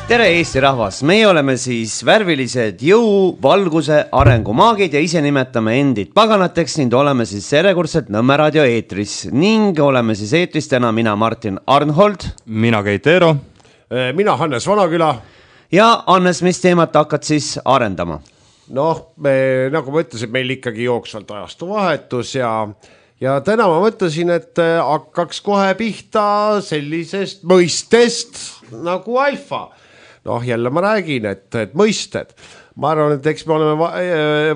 Tere Eesti rahvas, meie oleme siis värvilised jõu, valguse, arengumaagid ja ise nimetame endid paganateks ning oleme siis järjekordselt Nõmme raadio eetris ning oleme siis eetris täna mina Martin Arnhold, mina Keit Eero, mina Hannes Vanaküla ja Hannes, mis teemat hakkad siis arendama? Noh, nagu ma ütlesin, meil ikkagi jooksvalt ajastu vahetus ja täna ma mõtlesin, et hakkaks kohe pihta sellisest mõistest nagu alfa. Noh, jälle ma räägin, et mõisted. Ma arvan, et eks me oleme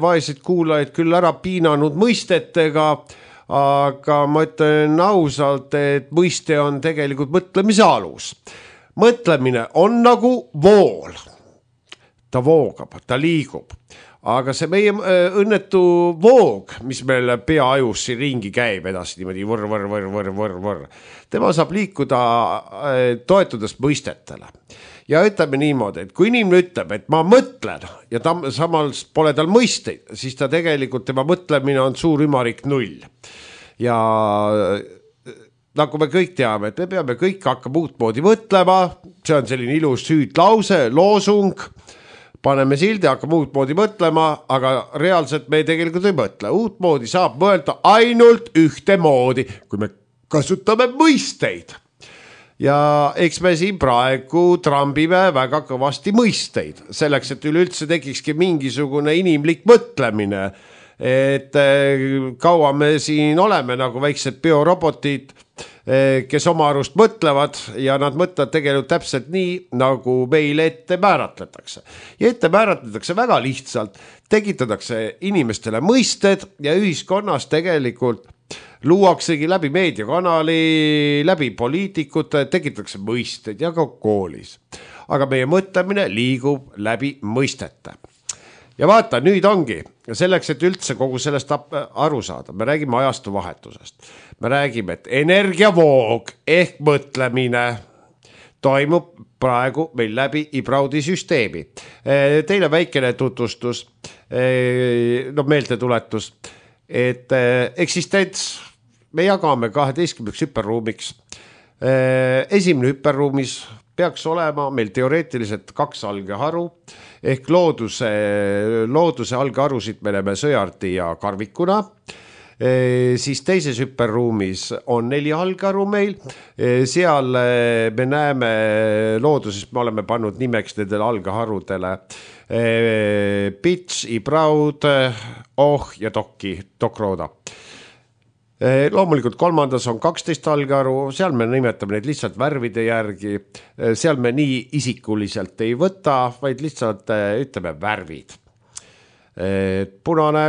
vaeseid kuulajaid küll ära piinanud mõistetega, aga ma ütlen ausalt, et mõiste on tegelikult mõtlemise alus. Mõtlemine on nagu vool. Ta voogab, ta liigub. Aga see meie õnnetu voog, mis meil peaajus siin ringi käib edasi niimoodi võr. Tema saab liikuda toetudes mõistetele. Ja ütleme niimoodi, et kui inimene ütleb, et ma mõtlen ja samas pole tal mõisteid, siis ta tegelikult, tema mõtlemine on suur ümarik null. Ja nagu me kõik teame, et me peame kõik hakkama uutmoodi mõtlema, see on selline ilus hüüdlause, loosung, paneme sildi, hakkame uutmoodi mõtlema, aga reaalselt me tegelikult ei mõtle. Uutmoodi saab mõelda ainult ühtemoodi, kui me kasutame mõisteid. Ja eks me siin praegu trambime väga kõvasti mõisteid, selleks, et üleüldse tekikski mingisugune inimlik mõtlemine, et kaua me siin oleme nagu väiksed biorobotid, kes oma arust mõtlevad ja nad mõtlevad tegelikult täpselt nii, nagu meile ette määratletakse. Ja ette määratletakse väga lihtsalt, tekitatakse inimestele mõisted ja ühiskonnas tegelikult luuaksegi läbi meediakanali, läbi poliitikute, tekitatakse mõisted ja ka koolis. Aga meie mõtlemine liigub läbi mõistete. Ja vaata, nüüd ongi, selleks, et üldse kogu sellest aru saada, me räägime ajastu vahetusest. Me räägime, et energiavoog ehk mõtlemine toimub praegu meil läbi Ibraudi süsteemi. Teile väikene tutvustus, meeltetuletus, et eksistents me jagame 12 hüperruumiks. Esimene hüperruumis peaks olema meil teoreetiliselt 2 algeharu ehk looduse algeharusid me näeme sõjardi ja karvikuna. Siis teises hüperruumis on 4 algeharu meil. Seal me näeme looduses, me oleme pannud nimeks nendele algeharudele Pits, Ibraud, ja Dokrooda. Loomulikult kolmandas on 12 algeharu, seal me nimetame neid lihtsalt värvide järgi, seal me nii isikuliselt ei võta, vaid lihtsalt ütleme värvid. Punane,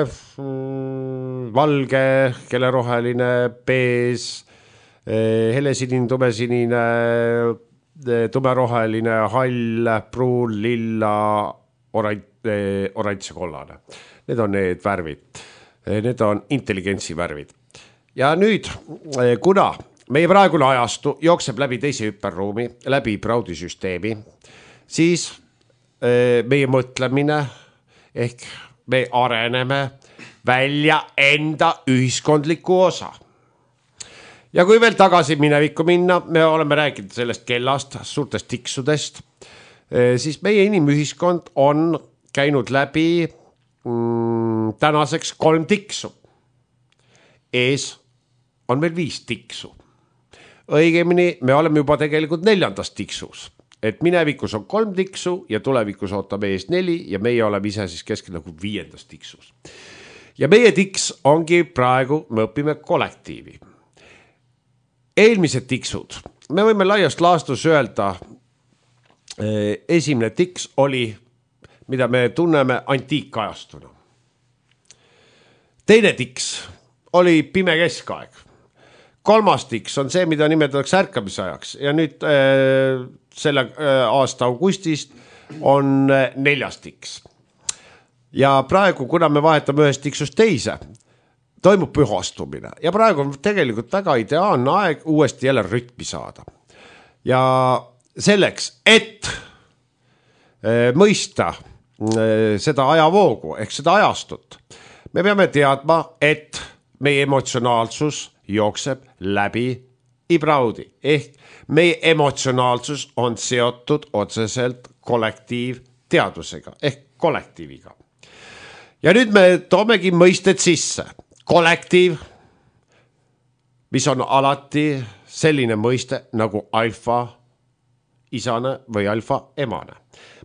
valge, keleroheline, bees, helesinine, tumesinine, tumeroheline, hall, pruun, lilla, oranž ja kollane. Need on need värvid, need on intelligentsi värvid. Ja nüüd, kuna meie praegune ajastu jookseb läbi teise hüperruumi, läbi Ibraudi süsteemi, siis meie mõtlemine ehk me areneme välja enda ühiskondliku osa. Ja kui veel tagasi minevikku minna, me oleme rääkinud sellest kellast, suurtest tiksudest, siis meie inimühiskond on käinud läbi tänaseks 3 tiksu. Ees on meil 5 tiksu. Õigemini me oleme juba tegelikult 4. tiksus. Et minevikus on 3 tiksu ja tulevikus ootab ees 4 ja meie oleme ise siis keskel nagu 5. tiksus. Ja meie tiks ongi praegu, me õpime kollektiivi. Eelmised tiksud, me võime laiast laastus öelda, esimene tiks oli, mida me tunneme antiikajastuna. Teine tiks oli pime keskaeg. 3. tiks on see, mida nimetatakse ärkamise ajaks ja nüüd selle aasta augustist on 4. tiks. Ja praegu, kuna me vahetame ühest tiksust teise, toimub pühastumine ja praegu on tegelikult väga ideaalne aeg uuesti jälle rütmi saada. Ja selleks, et mõista seda ajavoogu ehk seda ajastut, me peame teadma, et meie emotsionaalsus jookseb läbi ibraudi ehk meie emotsionaalsus on seotud otseselt kollektiivteadusega ehk kollektiiviga. Ja nüüd me toomegi mõisted sisse. Kollektiiv, mis on alati selline mõiste nagu alfa isane või alfa emane.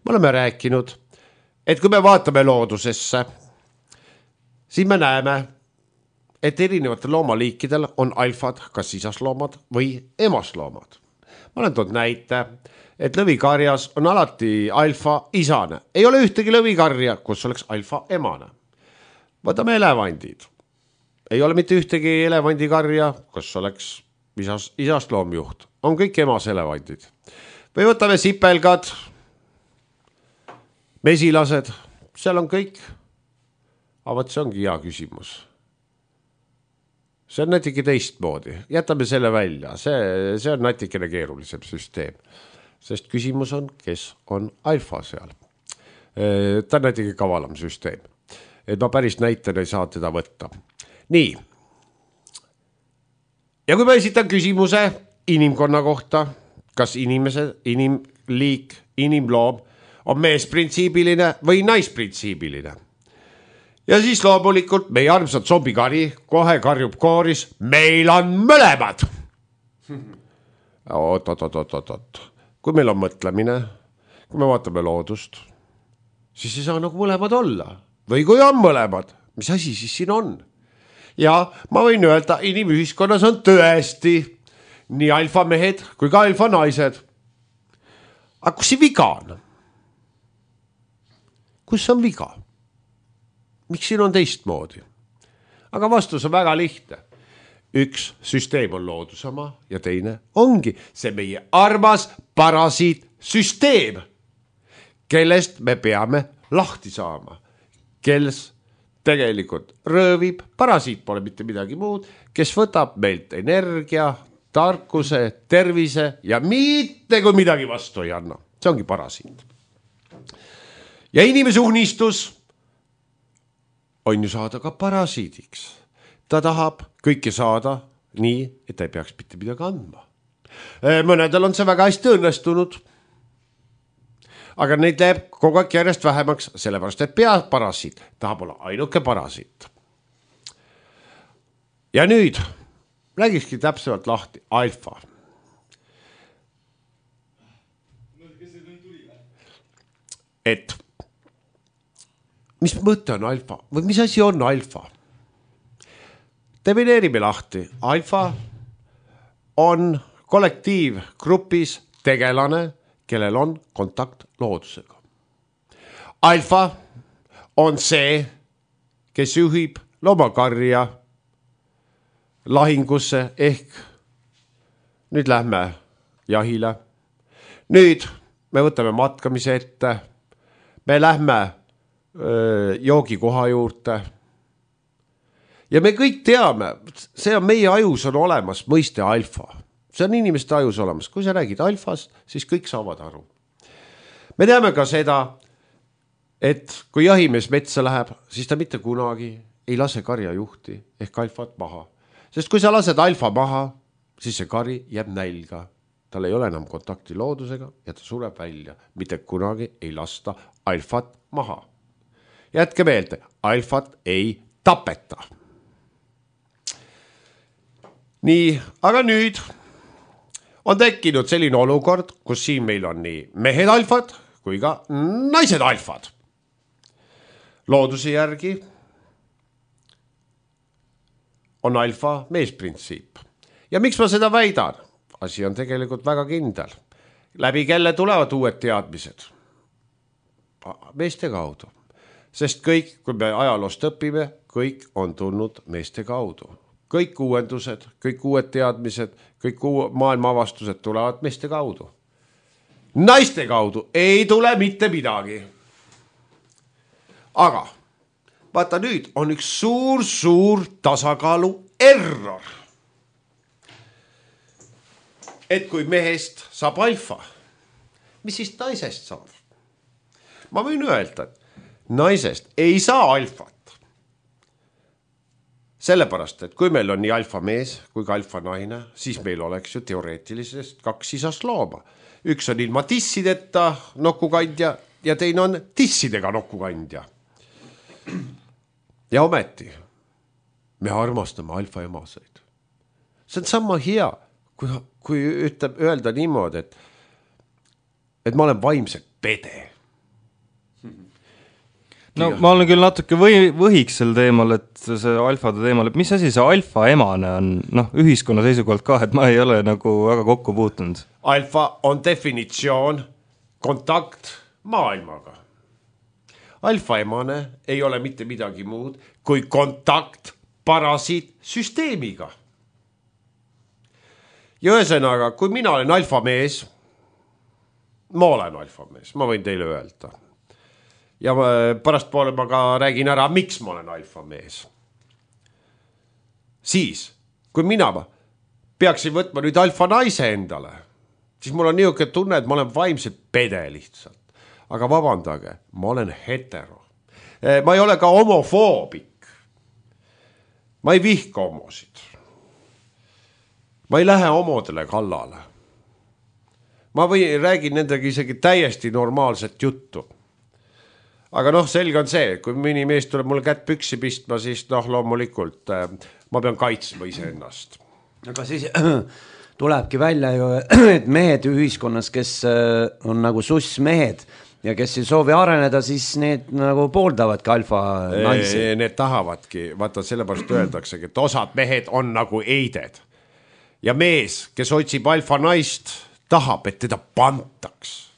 Me oleme rääkinud, et kui me vaatame loodusesse, siis me näeme, et erinevatel loomaliikidel on alfad, kas isasloomad või emasloomad. Ma olen toonud näite, et lõvikarjas on alati alfa isane. Ei ole ühtegi lõvikarja, kus oleks alfa emane. Võtame elevandid. Ei ole mitte ühtegi elevandikarja, kus oleks isasloomjuht. On kõik emas elevandid. Või võtame sipelgad, mesilased, seal on kõik. Aga see ongi hea küsimus. See on natuke teistmoodi. Jätame selle välja. See on natikene keerulisem süsteem. Sest küsimus on, kes on alfa seal. Ta on natuke kavalam süsteem. Et ma päris näitena ei saa teda võtta. Nii. Ja kui ma esitan küsimuse inimkonna kohta, kas inimliik, inimloom on meesprintsiibiline või naisprintsiibiline. Ja siis loomulikult meie armsad zombikari kohe karjub kooris, meil on mõlemad. Oot. Kui meil on mõtlemine, kui me vaatame loodust, siis ei saa nagu mõlemad olla. Või kui on mõlemad, mis asi siis siin on? Ja ma võin öelda, inimühiskonnas on tõesti nii alfa mehed kui ka alfa naised. Aga kus see viga on? Kus on viga? Miks siin on teistmoodi? Aga vastus on väga lihtne. Üks süsteem on loodusama ja teine ongi see meie armas parasiitsüsteem, kellest me peame lahti saama, kes tegelikult röövib, parasiit pole mitte midagi muud, kes võtab meilt energia, tarkuse, tervise ja mitte kui midagi vastu ei anna. See ongi parasiit. Ja inimese unistus on ju saada ka parasiidiks. Ta tahab kõike saada nii, et ta ei peaks mitte midagi andma. Mõnedel on see väga hästi õnnestunud. Aga neid läheb kogu aeg järjest vähemaks, sellepärast et peaparasiit tahab olla ainuke parasiit. Ja nüüd räägikski täpsemalt lahti alfa. Et mis mõte on alfa või mis asi on alfa? Defineerime lahti. Alfa on kollektiivgrupis tegelane, kellel on kontakt loodusega. Alfa on see, kes juhib loomakarja lahingusse ehk nüüd lähme jahile. Nüüd me võtame matkamise ette. Me lähme joogikoha juurde. Ja me kõik teame, see on meie ajus on olemas mõiste alfa. See on inimeste ajus olemas. Kui sa räägid alfast, siis kõik saavad aru. Me teame ka seda, et kui jahimees metsa läheb, siis ta mitte kunagi ei lase karjajuhti ehk alfat maha. Sest kui sa lased alfa maha, siis see kari jääb nälga. Tal ei ole enam kontakti loodusega ja ta sureb välja. Mitte kunagi ei lasta alfat maha. Jätke meelde, alfat ei tapeta. Nii, aga nüüd on tekkinud selline olukord, kus siin meil on nii mehed alfad kui ka naised alfad. Looduse järgi on alfa meesprintsiip. Ja miks ma seda väidan? Asi on tegelikult väga kindel. Läbi kelle tulevad uued teadmised? Meeste kaudu. Sest kõik, kui me ajaloost õpime, kõik on tulnud meeste kaudu. Kõik uuendused, kõik uued teadmised, kõik maailma avastused tulevad meeste kaudu. Naiste kaudu ei tule mitte midagi. Aga vaata nüüd on üks suur tasakaalu error. Et kui mehest saab alfa, mis siis naisest saab? Ma võin öelda, et naisest ei saa alfat. sellepärast, et kui meil on nii alfa mees kui ka alfa naine, siis meil oleks ju teoreetiliselt 2 sisast looma. Üks on ilma tissideta nokukandja ja teine on tissidega nokukandja. Ja ometi me armastame alfa emaseid. See on sama hea, kui öelda niimoodi, et ma olen vaimselt pede. No ma olen küll natuke võhiks sel teemal, et see alfade teemal, et mis asi see alfa emane on, ühiskonna seisukohalt ka, et ma ei ole nagu väga kokku puutunud. Alfa on definitsioon kontakt maailmaga. Alfa emane ei ole mitte midagi muud kui kontakt parasiitsüsteemiga. Ja ühesõnaga, kui mina olen alfa mees, ma võin teile öelda. Ja pärast poole ma ka räägin ära, miks ma olen alfa mees. Siis, kui mina peaksin võtma nüüd alfa naise endale, siis mul on niisugune tunne, et ma olen vaimselt pede lihtsalt. Aga vabandage, ma olen hetero. Ma ei ole ka homofoobik. Ma ei vihka homosid. Ma ei lähe homodele kallale. Ma räägin nendega isegi täiesti normaalset juttu. Aga selge on see, kui mõni mees tuleb mulle kätt püksi pistma, siis loomulikult ma pean kaitsma iseennast. Aga siis tulebki välja ju, et mehed ühiskonnas, kes on nagu sussmehed ja kes ei soovi areneda, siis need nagu pooldavadki alfa naisi. Need tahavadki, vaata sellepärast öeldaksegi, et osad mehed on nagu eided. Ja mees, kes otsib alfa naist, tahab, et teda pantaks.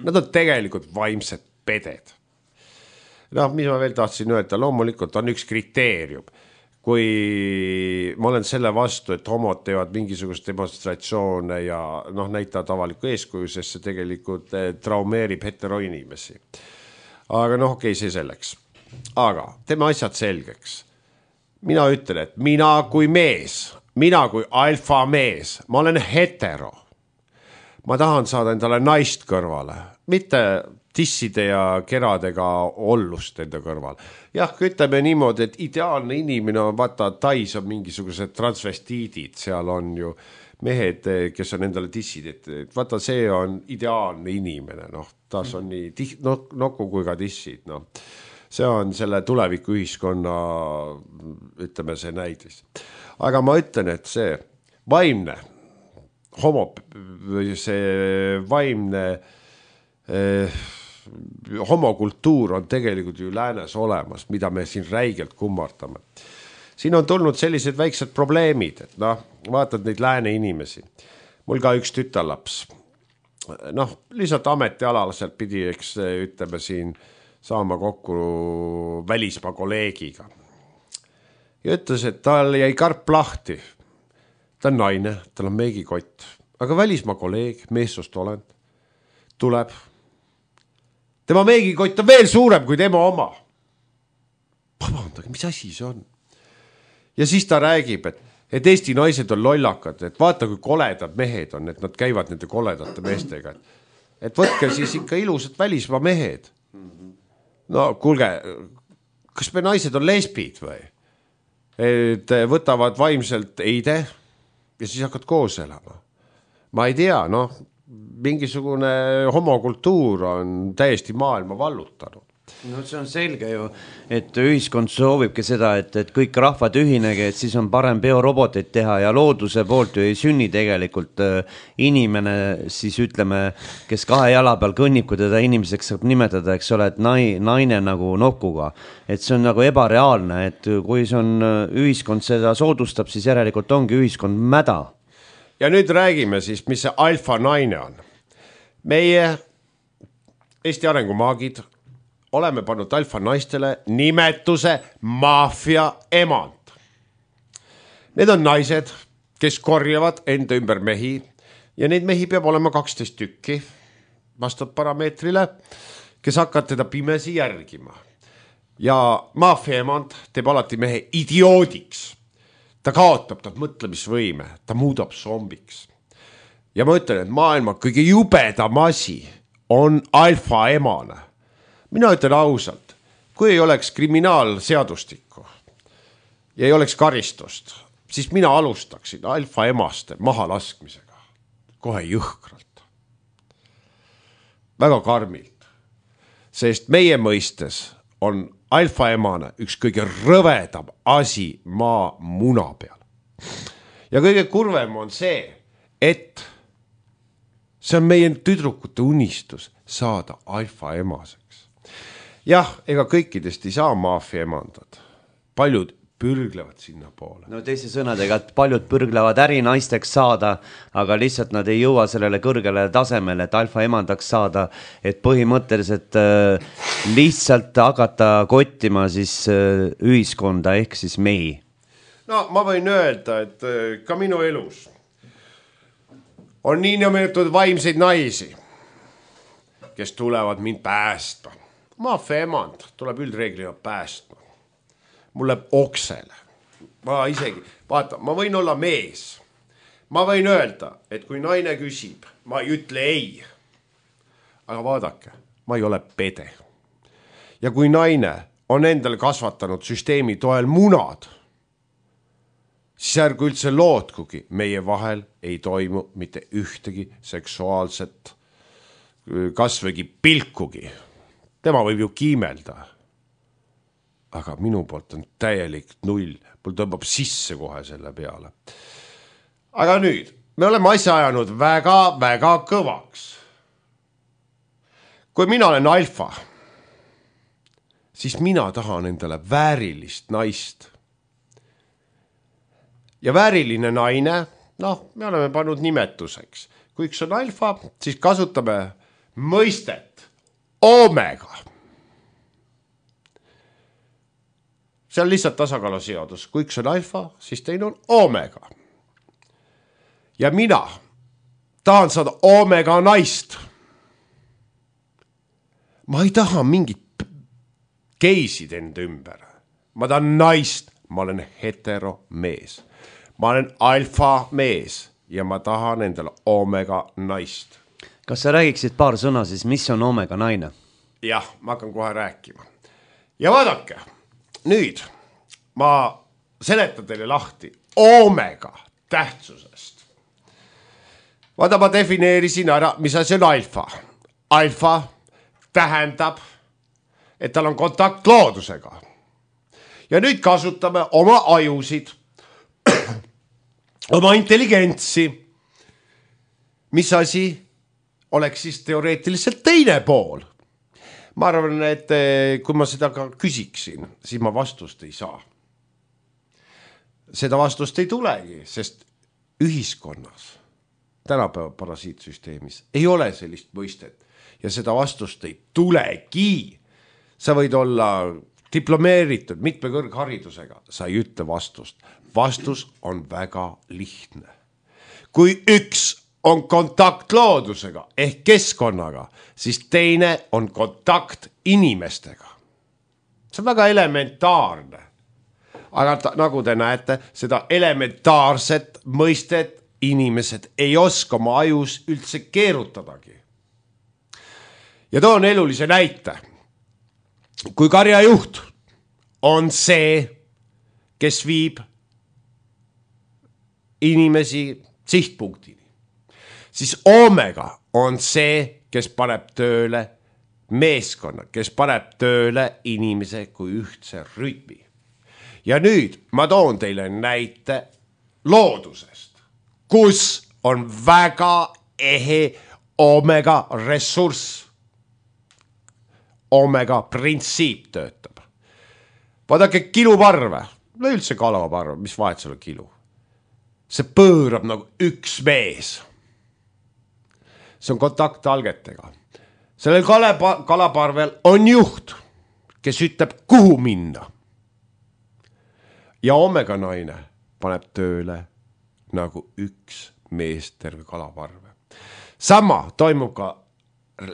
Nad on tegelikult vaimsed peded. Mis ma veel tahtsin öelda, loomulikult on üks kriteerium. Kui ma olen selle vastu, et homod teevad mingisugust demonstratsioone ja näitavad avalikku eeskuju, sest see tegelikult traumeerib heteroinimesi. Aga okei, see selleks. Aga teeme asjad selgeks. Mina ütlen, et mina kui mees, mina kui alfa mees, ma olen hetero. Ma tahan saada endale naist kõrvale, mitte tisside ja keradega ollust enda kõrval. Jah, ütleme niimoodi, et ideaalne inimene on, vaata, Tais on mingisugused transvestiidid, seal on ju mehed, kes on endale tissid, et vaata, see on ideaalne inimene, taas on nii nokku kui ka tissid, see on selle tuleviku ühiskonna, ütleme see näidis. Aga ma ütlen, et see vaimne, see vaimne homokultuur on tegelikult ju läänes olemas, mida me siin räigelt kummardame. Siin on tulnud sellised väiksed probleemid, et vaatad neid lääne inimesi. Mul ka üks tütarlaps. Lihtsalt ametialaliselt pidi, eks ütleme siin, saama kokku välismaa kolleegiga. Ja ütles, et tal jäi karp lahti. Ta on naine, tal on meigikott. Aga välismaa kolleeg, meessoost olend, tuleb. Tema meigikott on veel suurem kui tema oma. Vabandage, mis asi see on? Ja siis ta räägib, et Eesti naised on lollakad, et vaata, kui koledad mehed on, et nad käivad nende koledate meestega. Et võtke siis ikka ilusad välismaa mehed. Kuulge, kas me naised on lesbid või? Et võtavad vaimselt eide ja siis hakkad koos elama. Ma ei tea, mingisugune homokultuur on täiesti maailma vallutanud. See on selge ju, et ühiskond soovibki seda, et kõik rahvad ühinegi, et siis on parem bioroboteid teha ja looduse poolt ju ei sünni tegelikult inimene, siis ütleme, kes 2 jala peal kõnnib, kui teda inimeseks saab nimetada, eks ole, et naine nagu nokuga. Et see on nagu ebareaalne, et kui see on ühiskond seda soodustab, siis järelikult ongi ühiskond mäda. Ja nüüd räägime siis, mis see alfa naine on. Meie Eesti arengumaagid oleme pannud alfa naistele nimetuse maffia emand. Need on naised, kes korjavad enda ümber mehi ja neid mehi peab olema 12 tükki vastavalt parameetrile, kes hakkavad teda pimesi järgima. Ja maffia emand teeb alati mehe idioodiks. Ta kaotab ta mõtlemisvõime, ta muudab zombiks. Ja ma ütlen, et maailma kõige jubedam asi on alfa emane. Mina ütlen ausalt, kui ei oleks kriminaalseadustikku, ja ei oleks karistust, siis mina alustaksin alfaemaste mahalaskmisega kohe jõhkralt. Väga karmilt, sest meie mõistes on alfaemane üks kõige rõvedam asi maa muna peal. Ja kõige kurvem on see, et see on meie tüdrukute unistus saada alfaemaseks. Jah, ega kõikidest ei saa maafia emandad. Paljud pürglevad sinna poole. No teise sõnadega, et paljud pürglevad ärinaisteks saada, aga lihtsalt nad ei jõua sellele kõrgele tasemele, et alfa emandaks saada, et põhimõtteliselt lihtsalt hakata kottima siis ühiskonda ehk siis mehi. No ma võin öelda, et ka minu elus on nii nimetatud vaimseid naisi, kes tulevad mind päästma. Maafia emand tuleb üldreeglina päästma. Mul läheb oksele. Ma isegi, vaata, ma võin olla mees. Ma võin öelda, et kui naine küsib, ma ei ütle ei. Aga vaadake, ma ei ole pede. Ja kui naine on endale kasvatanud süsteemi toel munad, siis ärgu üldse lootkugi, meie vahel ei toimu mitte ühtegi seksuaalset kasvõgi pilkugi. Tema võib ju kiimelda. Aga minu poolt on täielik null. Mul tõmbab sisse kohe selle peale. Aga nüüd, me oleme asja ajanud väga kõvaks. Kui mina olen alfa, siis mina tahan endale väärilist naist. Ja vääriline naine, me oleme pannud nimetuseks. Kui üks on alfa, siis kasutame mõistet omega. See on lihtsalt tasakaaluseadus. Kui üks on alfa, siis teine on omega. Ja mina tahan saada omega naist. Ma ei taha mingit geisid enda ümber. Ma tahan naist. Ma olen hetero mees. Ma olen alfa mees ja ma tahan endale omega naist. Kas sa räägiksid paar sõna siis, mis on omega naine? Jah, ma hakkan kohe rääkima. Ja vaadake. Nüüd ma seletan teile lahti omega tähtsusest. Vaata, ma defineerisin ära, mis asi on alfa. Alfa tähendab, et tal on kontakt loodusega. Ja nüüd kasutame oma ajusid, oma intelligentsi. Mis asi oleks siis teoreetiliselt teine pool? Ma arvan, et kui ma seda ka küsiksin, siis ma vastust ei saa. Seda vastust ei tulegi, sest ühiskonnas, tänapäeva parasiitsüsteemis, ei ole sellist mõistet ja seda vastust ei tulegi. Sa võid olla diplomeeritud mitme kõrgharidusega, sa ei ütle vastust. Vastus on väga lihtne. Kui üks on kontakt loodusega ehk keskkonnaga, siis teine on kontakt inimestega. See on väga elementaarne. Aga nagu te näete, seda elementaarset mõistet inimesed ei oska oma ajus üldse keerutadagi. Ja toon elulise näite. Kui karjajuht on see, kes viib inimesi sihtpunktini, siis omega on see, kes paneb tööle meeskonna, kes paneb tööle inimese kui ühtse rütmi. Ja nüüd ma toon teile näite loodusest, kus on väga ehe omega ressurss. Omega printsiip töötab. Vaadake kiluparve, no üldse kalaparve, mis vahet seal on kilu? See pöörab nagu üks mees. See on kontakt algetega. Sellel kalaparvel on juht, kes ütleb, kuhu minna. Ja omega naine paneb tööle nagu üks mees terve kalaparve. Sama toimub ka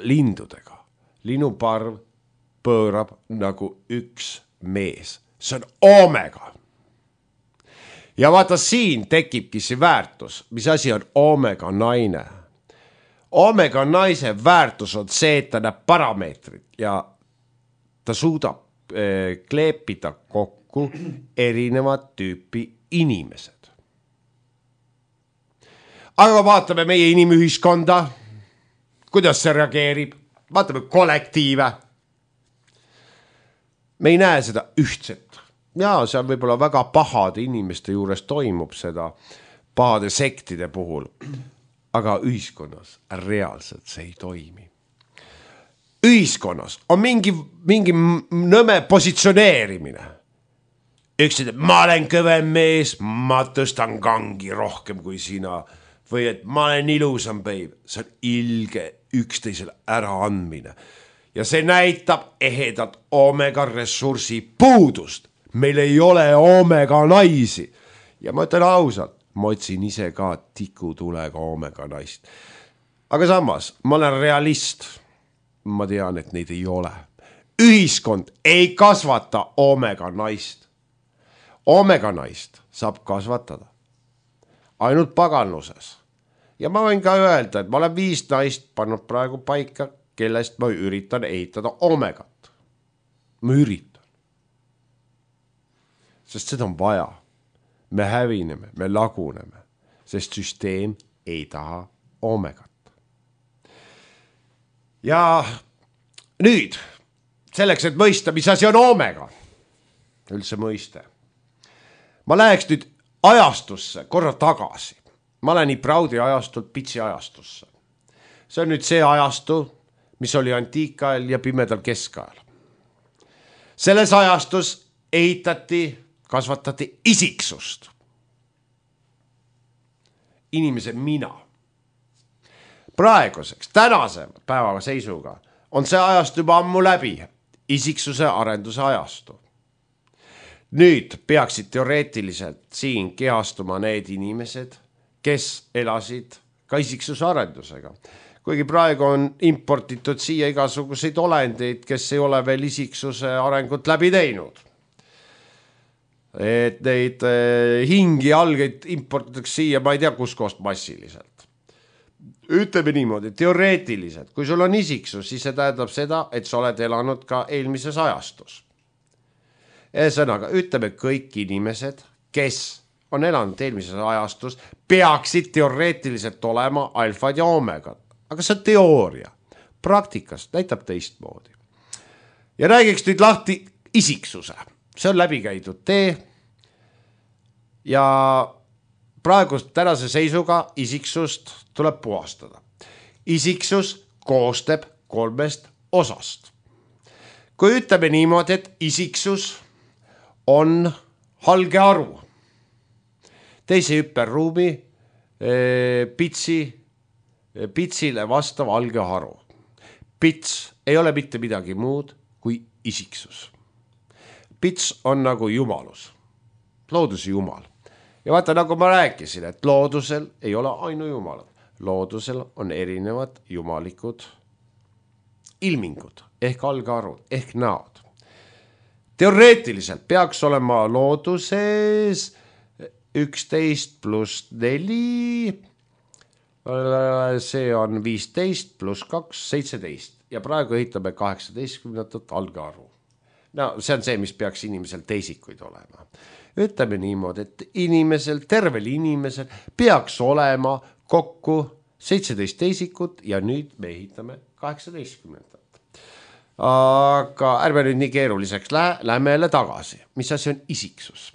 lindudega. Linnuparv pöörab nagu üks mees. See on omega. Ja vaata, siin tekibki see väärtus. Mis asi on omega naine? Omega naise väärtus on see, et ta näeb parameetrit ja ta suudab kleepida kokku kokku erinevat tüüpi inimesed. Aga vaatame meie inimühiskonda, kuidas see reageerib, vaatame kollektiive. Me ei näe seda ühtset. Ja see on võib-olla väga pahade inimeste juures toimub seda pahade sektide puhul, aga ühiskonnas reaalselt see ei toimi. Ühiskonnas on mingi nõme positsioneerimine. Üks ütleb, ma olen kõvem mees, ma tõstan kangi rohkem kui sina. Või et ma olen ilusam peib. See on ilge üksteisele äraandmine. Ja see näitab ehedat omega ressursi puudust. Meil ei ole omega naisi. Ja ma ütlen ausalt, ma otsin ise ka tikutulega omega naist. Aga samas, ma olen realist. Ma tean, et neid ei ole. Ühiskond ei kasvata omega naist. Omega naist saab kasvatada ainult paganluses. Ja ma võin ka öelda, et ma olen 5 naist pannud praegu paika, kellest ma üritan ehitada omegat. Ma üritan. Sest seda on vaja. Me hävineme, me laguneme, sest süsteem ei taha omegat. Ja nüüd, selleks, et mõista, mis asi on omega, üldse mõiste. Ma läheks nüüd ajastusse korra tagasi. Ma olen nii Praudi ajastult Pitsi ajastusse. See on nüüd see ajastu, mis oli antiikajal ja pimedal keskajal. Selles ajastus ehitati, kasvatati isiksust. Inimese mina. Praeguseks, tänase päeva seisuga on see ajastu juba ammu läbi, isiksuse arenduse ajastu. Nüüd peaksid teoreetiliselt siin kehastuma need inimesed, kes elasid ka isiksuse arendusega. Kuigi praegu on importitud siia igasuguseid olendeid, kes ei ole veel isiksuse arengut läbi teinud. Et neid hingi algeid importitakse siia, ma ei tea kuskohast massiliselt. Ütleme niimoodi, teoreetiliselt, kui sul on isiksus, siis see tähendab seda, et sa oled elanud ka eelmises ajastus. Sõnaga, ütleme kõik inimesed, kes on elanud eelmises ajastus, peaksid teoreetiliselt olema alfad ja omegad. Aga see on teooria. Praktikas näitab teistmoodi. Ja räägiks nüüd lahti isiksuse. See on läbikäidud tee. Ja praegu tänase seisuga isiksust tuleb puhastada. Isiksus koostab 3 osast. Kui ütleme niimoodi, et isiksus on halge aru. Teise hüperruumi pitsile vastav halge haru. Pits ei ole mitte midagi muud kui isiksus. Pits on nagu jumalus. Looduse jumal. Ja vaata, nagu ma rääkisin, et loodusel ei ole ainu jumalad. Loodusel on erinevad jumalikud ilmingud ehk algarvud ehk näod. Teoreetiliselt peaks olema looduses 11 + 4, see on 15 + 2, 17 ja praegu ehitame 18. algarvu. No see on see, mis peaks inimesel teisikuid olema. Ütleme niimoodi, et inimesel, tervel inimesel peaks olema kokku 17 teisikut ja nüüd me ehitame 18. Aga ärme nüüd nii keeruliseks lähme jälle tagasi. Mis asi on isiksus?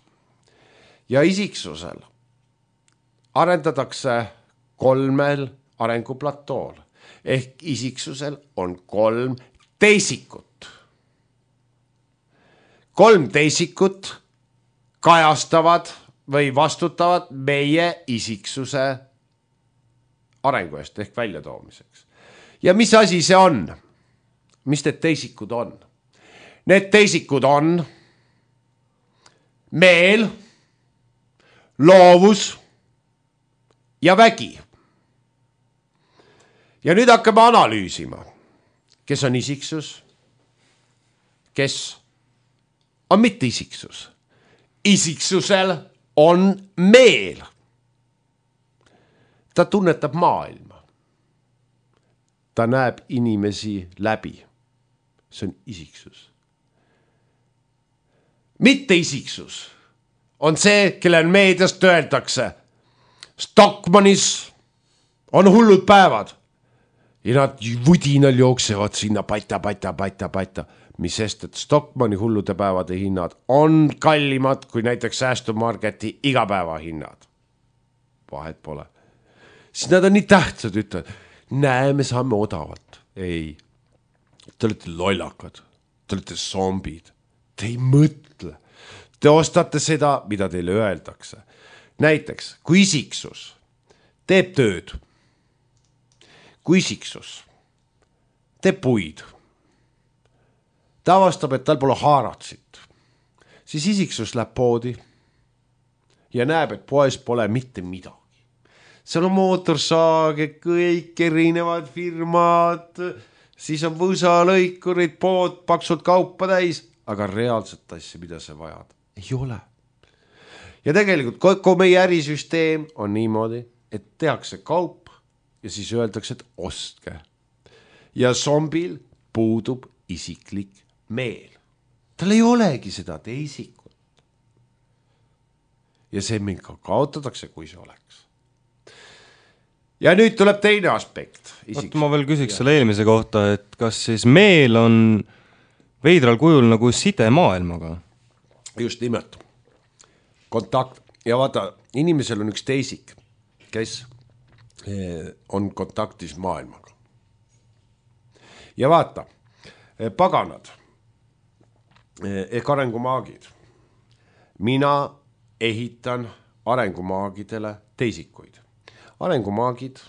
Ja isiksusel arendatakse 3 arenguplatool. Ehk isiksusel on 3 teisikut. 3 teisikut kajastavad või vastutavad meie isiksuse arengu eest ehk väljatoomiseks. Ja mis asi see on? Mis need teisikud on? Need teisikud on meel, loovus ja vägi. Ja nüüd hakkame analüüsima, kes on isiksus, kes on mitte isiksus. Isiksusel on meel. Ta tunnetab maailma. Ta näeb inimesi läbi. See on isiksus. mitte isiksus, on see, kellel meediast öeldakse, Stockmannis on hullud päevad ja nad vudinal jooksevad sinna pata. Mis sest, et Stockmanni hullude päevade hinnad on kallimad kui näiteks säästumarketi igapäevahinnad. Vahet pole. Siis nad on nii tähtsad, ütlevad, näe, me saame odavalt. Ei, te olete lollakad, te olete zombid, te ei mõtle. Te ostate seda, mida teile öeldakse. Näiteks, kui isiksus teeb tööd, kui isiksus teeb puid, ta avastab, et tal pole haaratsit, siis isiksus läheb poodi ja näeb, et poes pole mitte midagi. Seal on mootorsaage, kõik erinevad firmad, siis on võsalõikurid, pood, paksud kaupa täis, aga reaalset asja, mida sa vajad, ei ole. Ja tegelikult kogu meie ärisüsteem on niimoodi, et tehakse kaup ja siis öeldakse, et ostke. Ja zombil puudub isiklik meel. Tal ei olegi seda teisikut. Ja see mind ka kaotatakse, kui see oleks. Ja nüüd tuleb teine aspekt. Ma veel küsiks selle eelmise kohta, et kas siis meel on veidral kujul nagu side maailmaga? Just nimelt. Kontakt. Ja vaata, inimesel on üks teisik, kes on kontaktis maailmaga. Ja vaata, paganad ehk arengumaagid. Mina ehitan arengumaagidele teisikuid. Arengumaagid,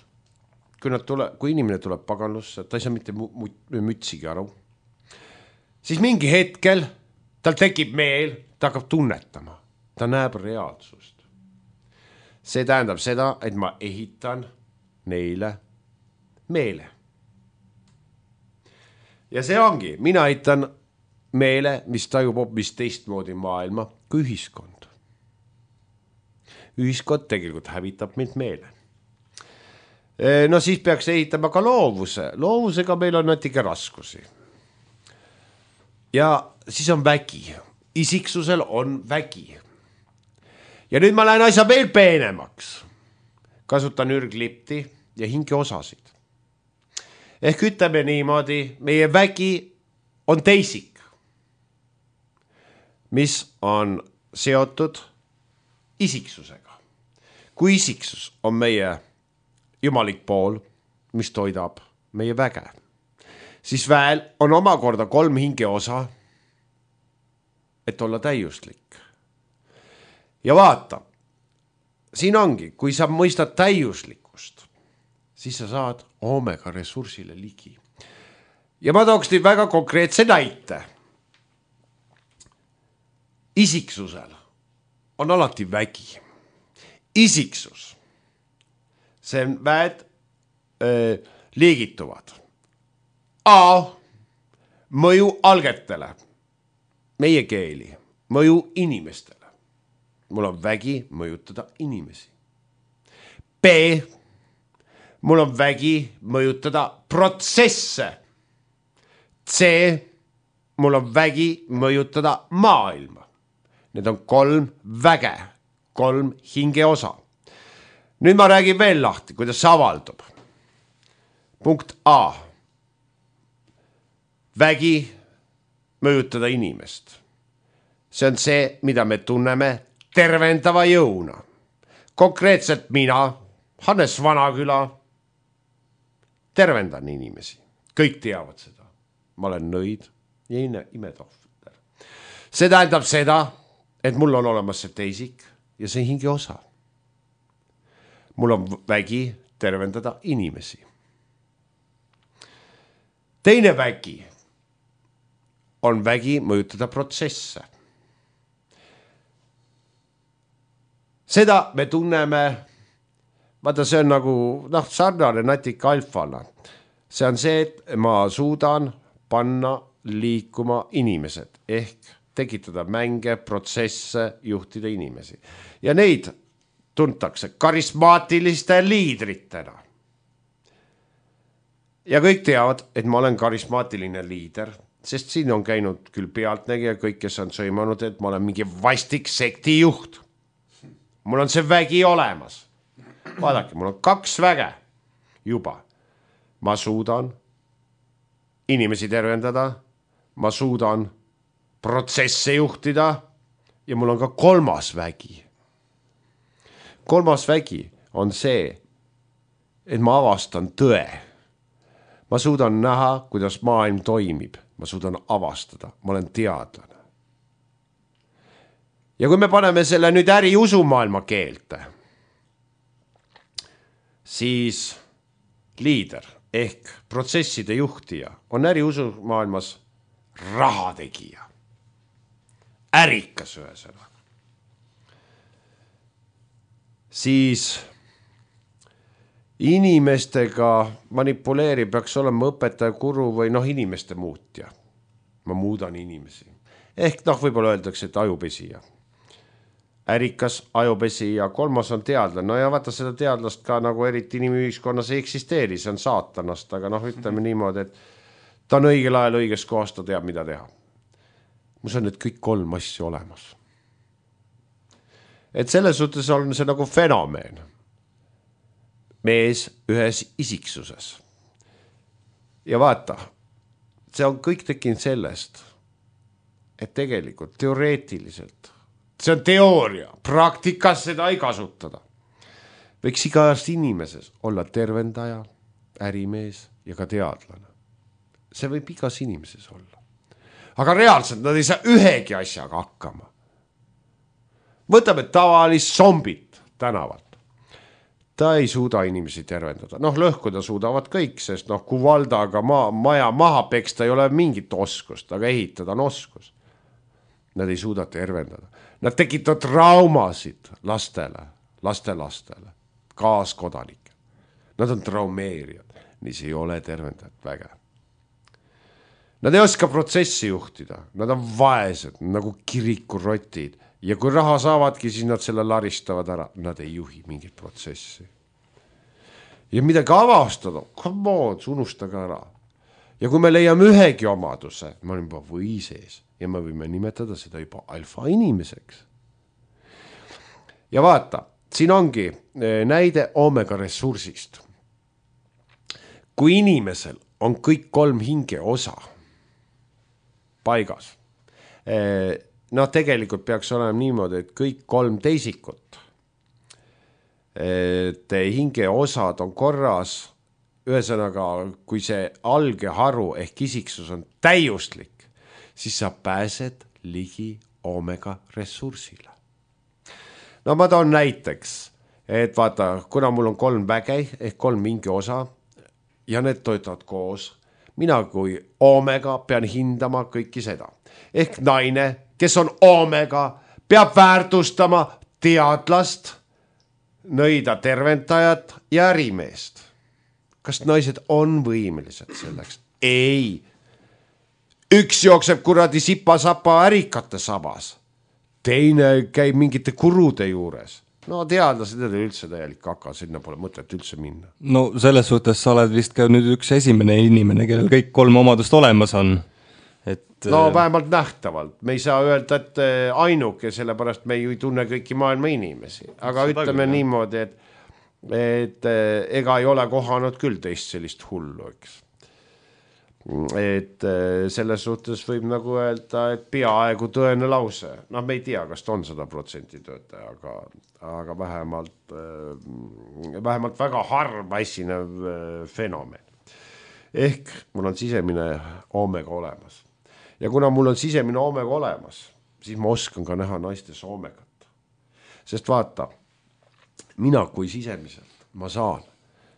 kui inimene tuleb paganlusse, ta ei saa mitte mütsigi aru, siis mingi hetkel tal tekib meel, ta hakkab tunnetama, ta näeb reaalsust. See tähendab seda, et ma ehitan neile meele. Ja see ongi, mina ehitan meele, mis tajub hoopis teistmoodi maailma kui ühiskond. Ühiskond tegelikult hävitab mind meele. No siis peaks ehitama ka loovuse. Loovusega meil on natuke raskusi. Ja siis on vägi. Isiksusel on vägi. Ja nüüd ma lähen asja veel peenemaks. Kasutan ürglipti ja hingeosasid. Ehk ütleme niimoodi, meie vägi on teisik, mis on seotud isiksusega. Kui isiksus on meie jumalik pool, mis toidab meie väge, siis väel on omakorda 3 hingeosa, et olla täiuslik. Ja vaata, siin ongi, kui sa mõistad täiuslikkust, siis sa saad omega ressursile ligi. Ja ma tooks teid väga konkreetse näite. Isiksusel on alati vägi. Isiksus. See väed liigituvad. A. Mõju algetele. Meie keeli. Mõju inimestele. Mul on vägi mõjutada inimesi. B. Mul on vägi mõjutada protsesse. C. Mul on vägi mõjutada maailma. Need on 3 väge, 3 hingeosa. Nüüd ma räägin veel lahti, kuidas see avaldub. Punkt A. Vägi mõjutada inimest. See on see, mida me tunneme tervendava jõuna. Konkreetselt mina, Hannes Vanaküla, tervendan inimesi. Kõik teavad seda. Ma olen nõid ja imetohver. See tähendab seda, et mul on olemas see teisik ja see hinge osa. Mul on vägi tervendada inimesi. Teine vägi on vägi mõjutada protsesse. Seda me tunneme, vaata see on nagu sarnane natika alfana. See on see, et ma suudan panna liikuma inimesed ehk tekitada mänge, protsesse, juhtida inimesi. Ja neid tuntakse karismaatiliste liidritena. Ja kõik teavad, et ma olen karismaatiline liider, sest siin on käinud küll pealtnägija, kõik, kes on sõimanud, et ma olen mingi vastik sektijuht. Mul on see vägi olemas. Vaadake, mul on 2 väge juba. Ma suudan inimesi tervendada, ma suudan protsesse juhtida ja mul on ka 3. vägi. 3. vägi on see, et ma avastan tõe. Ma suudan näha, kuidas maailm toimib. Ma suudan avastada. Ma olen teadlane. Ja kui me paneme selle nüüd äri usumaailma keelte, siis liider ehk protsesside juhtija on äri usumaailmas rahategija. Ärikas ühesõnaga. Siis inimestega manipuleerib, peaks olema õpetaja guru või inimeste muutja. Ma muudan inimesi. Ehk võib-olla öeldakse, et ajupesija. Ärikas, ajupesi ja 3. on teadlane. No ja vaata seda teadlast ka nagu eriti inimühiskonnas ei eksisteeri, see on saatanast, aga ütleme niimoodi, et ta on õigel ajal õiges kohas, ta teab, mida teha. Mus on need kõik 3 asja olemas. Et selles suhtes on see nagu fenomeen. Mees ühes isiksuses. Ja vaata, see on kõik tekkinud sellest, et tegelikult teoreetiliselt, see on teooria, praktikas seda ei kasutada. Võiks igast inimeses olla tervendaja, ärimees ja ka teadlane. See võib igas inimeses olla. Aga reaalselt nad ei saa ühegi asjaga hakkama. Võtame tavalist zombit tänavalt. Ta ei suuda inimesi tervendada. Lõhkuda suudavad kõik, sest kui valdaga maja maha peksta ei ole mingit oskust, aga ehitada on oskus. Nad ei suuda tervendada. Nad tekitavad traumasid lastele, kaaskodanike. Nad on traumeerijad, nii see ei ole tervendajat väge. Nad ei oska protsessi juhtida, nad on vaesed, nagu kirikurotid. Ja kui raha saavadki, siis nad selle laristavad ära. Nad ei juhi mingit protsessi. Ja midagi avastada, come on, unustage ära. Ja kui me leiame ühegi omaduse, me oleme juba või sees ja me võime nimetada seda juba alfa inimeseks. Ja vaata, siin ongi näide omega ressursist. Kui inimesel on kõik 3 hinge osa paigas, tegelikult peaks olema niimoodi, et kõik 3 teisikut, et hinge osad on korras, ühesõnaga, kui see algeharu ehk isiksus on täiuslik, siis sa pääsed ligi omega ressursile. No ma toon näiteks, et vaata, kuna mul on 3 väge ehk 3 hinge osa ja need toetavad koos, mina kui omega pean hindama kõiki seda. Ehk naine, kes on omega, peab väärtustama teadlast, nõida terventajat ja ärimeest. Kas naised on võimelised selleks? Ei. Üks jookseb kuradi sipa-sapa ärikate sabas. Teine käib mingite kurude juures. No teadlased ei üldse täielik kaka, sinna pole mõtet üldse minna. No selles suhtes sa oled vist ka nüüd üks esimene inimene, kellel kõik 3 omadust olemas on. No vähemalt nähtavalt. Me ei saa öelda, et ainuke, sellepärast me ei tunne kõiki maailma inimesi. Aga seda ütleme niimoodi, et ega ei ole kohanud küll teist sellist hullu, eks. Et selles suhtes võib nagu öelda, et peaaegu tõene lause. Me ei tea, kas ta on 100% töötaja, aga vähemalt väga harva esinev fenomen. Ehk mul on sisemine omega olemas. Ja kuna mul on sisemine omega olemas, siis ma oskan ka näha naistes omegat. Sest vaata, mina kui sisemiselt, ma saan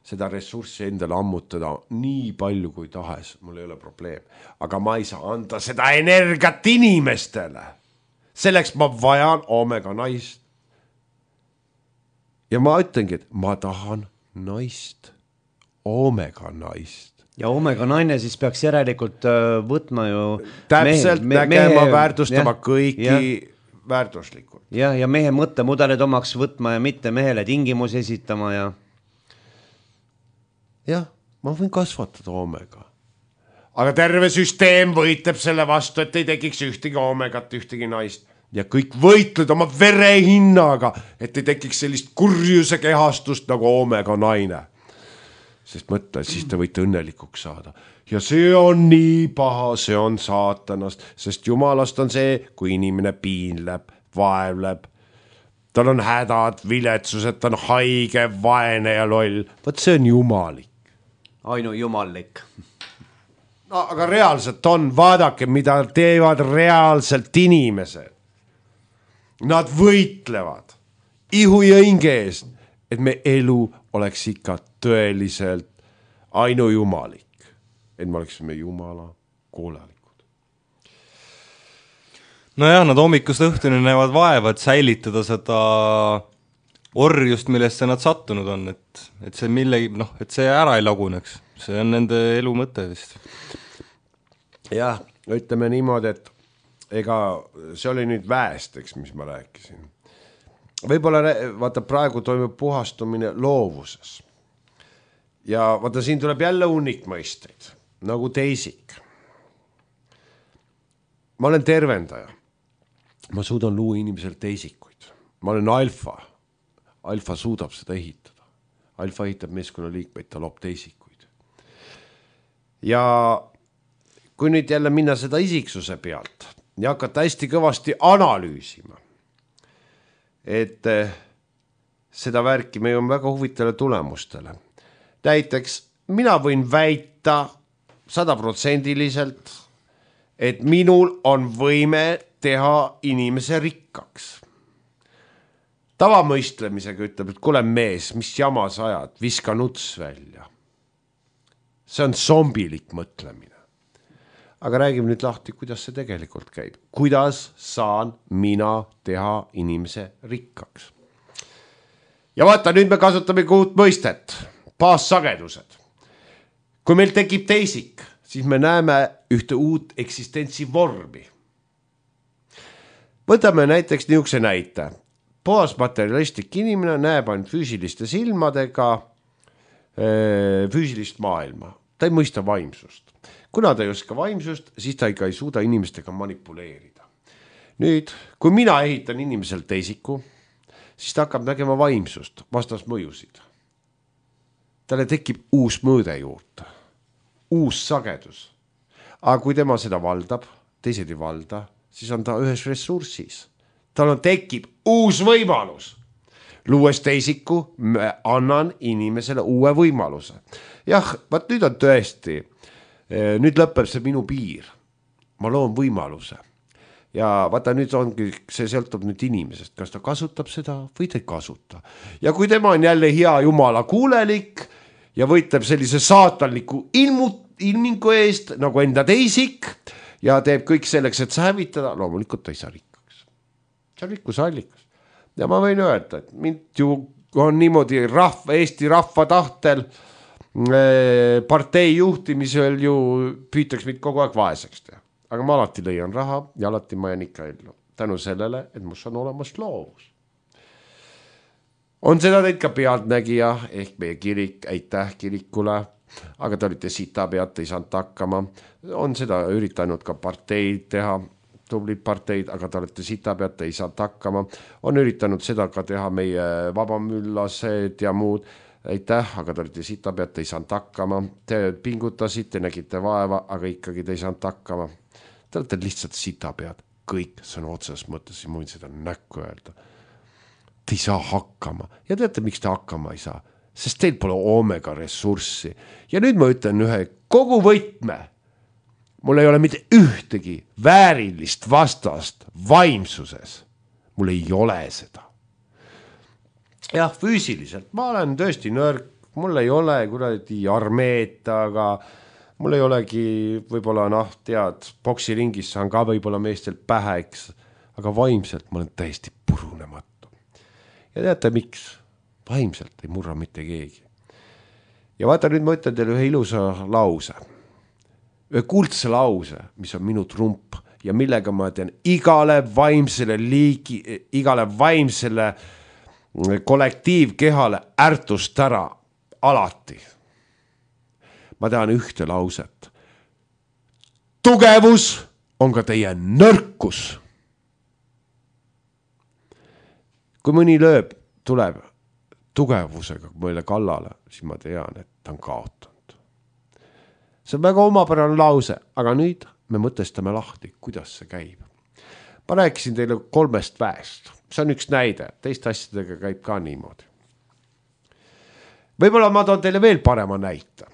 seda ressurssi endale ammutada nii palju kui tahes, mul ei ole probleem. Aga ma ei saa anda seda energiat inimestele. Selleks ma vajan omega naist. Ja ma ütlengi, et ma tahan naist, omega naist. Ja omega naine siis peaks järelikult võtma ju täpselt nägema, väärtustama kõiki väärtuslikult. Ja mehe mõttemudelid omaks võtma ja mitte mehele tingimusi esitama ja... Jah, ma võin kasvatada omega. aga terve süsteem võitleb selle vastu, et ei tekiks ühtegi omegat, ühtegi naist. Ja kõik võitled oma verehinnaga, et ei tekiks sellist kurjuse kehastust nagu omega naine. Sest mõtle, siis te võite õnnelikuks saada. Ja see on nii paha, see on saatanast, sest jumalast on see, kui inimene piinleb, vaevleb. Tal on hädad, viletsused, ta on haige, vaene ja loll. Võt see on jumalik. Ainu jumallik. No, aga reaalselt on, vaadake, mida teevad reaalselt inimesed. Nad võitlevad ihu ja hinge eest, et me elu oleks ikka tõeliselt ainujumalik, et me oleksime jumala koolalikud. Nojah, nad hommikust õhtuni näevad vaeva, et säilitada seda orjust, millesse nad sattunud on, et see millegi, et see ära ei laguneks. See on nende elu mõte vist. Jah, ütleme niimoodi, et ega see oli nüüd väest, eks, mis ma rääkisin. Võib-olla, vaata, praegu toimub puhastumine loovuses. Ja vaata, siin tuleb jälle hunnikmõisteid, nagu teisik. Ma olen tervendaja. Ma suudan luua inimesel teisikuid. Ma olen alfa. Alfa suudab seda ehitada. Alfa ehitab meeskonna liikmeid, ta loob teisikuid. Ja kui nüüd jälle minna seda isiksuse pealt ja hakata hästi kõvasti analüüsima, et seda värki me jõuame väga huvitavale tulemustele. Näiteks mina võin väita 100%, et minul on võime teha inimese rikkaks. Tavamõistlemisega ütleb, et kuule mees, mis jama sa ajad, viska nuts välja. See on zombilik mõtlemine. Aga räägime nüüd lahti, kuidas see tegelikult käib. Kuidas saan mina teha inimese rikkaks? Ja vaata, nüüd me kasutame uut mõistet. Baassagedused. Kui meil tekib teisik, siis me näeme ühte uut eksistentsi vormi. Võtame näiteks niisuguse näite. Puhasmaterialistlik inimene näeb ainult füüsiliste silmadega füüsilist maailma. Ta ei mõista vaimsust. Kuna ta ei oska vaimsust, siis ta ikka ei suuda inimestega manipuleerida. Nüüd, kui mina ehitan inimesel teisiku, siis ta hakkab nägema vaimsust, vastasmõjusid. Talle tekib uus mõõde juurde, uus sagedus. Aga kui tema seda valdab, teised ei valda, siis on ta ühes ressursis. Tal tekib uus võimalus. Luues teisiku, annan inimesele uue võimaluse. Jah, vaat nüüd on tõesti, nüüd lõpeb see minu piir. Ma loon võimaluse. Ja vaata, nüüd ongi, see sõltub nüüd inimesest, kas ta kasutab seda või ta ei kasuta. Ja kui tema on jälle hea jumala kuulelik ja võitleb sellise saatanliku ilmingu eest, nagu enda teisik, ja teeb kõik selleks, et see hävitada, loomulikult ta ei saa rikkaks. See on rikkuse allikas. Ja ma võin öelda, et mind ju on niimoodi Eesti rahva tahtel partei juhtimisel ju püütaks mind kogu aeg vaeseks teha. Aga ma alati leian raha ja alati ma jään ikka ellu. Tänu sellele, et mus on olemas loovus. On seda teid ka pealtnägija ehk meie kirik, aitäh kirikule, aga te olite sita pealt, ei saanud hakkama. On seda üritanud ka parteid teha, tublid parteid, aga te olete sita pealt, ei saanud hakkama. On üritanud seda ka teha meie vabamüllased ja muud. Aitäh, aga te olite sita pealt, ei saanud hakkama. Te pingutasite, nägite vaeva, aga ikkagi te ei saanud hakkama. Te olete lihtsalt sita pealt. Kõik sõna otseses mõttes, ma võin seda näkku öelda. Te ei saa hakkama. Ja teate, miks te hakkama ei saa? Sest teil pole omega ressurssi. Ja nüüd ma ütlen ühe kogu võtme. Mul ei ole mitte ühtegi väärilist vastast vaimsuses. Mul ei ole seda. Jah, füüsiliselt. Ma olen tõesti nõrk. Mul ei ole kuradi armeet, aga mul ei olegi võib-olla, tead, boksiringis saan ka võib-olla meestel pähe, eks. Aga vaimselt ma olen täiesti purunematu. Ja teate, miks? Vaimselt ei murra mitte keegi. Ja vaata, nüüd ma ütlen teile ühe ilusa lause. Ühe kuldse lause, mis on minu trump ja millega ma teen igale vaimsele kollektiivkehale ärtust ära alati. Ma tean ühte lauset. tugevus on ka teie nõrkus. Kui mõni tuleb tugevusega meile kallale, siis ma tean, et ta on kaotanud. See on väga omapärane lause, aga nüüd me mõtestame lahti, kuidas see käib. Ma rääkisin teile 3 väest. See on üks näide, teiste asjadega käib ka niimoodi. Võib-olla ma toon teile veel parema näite.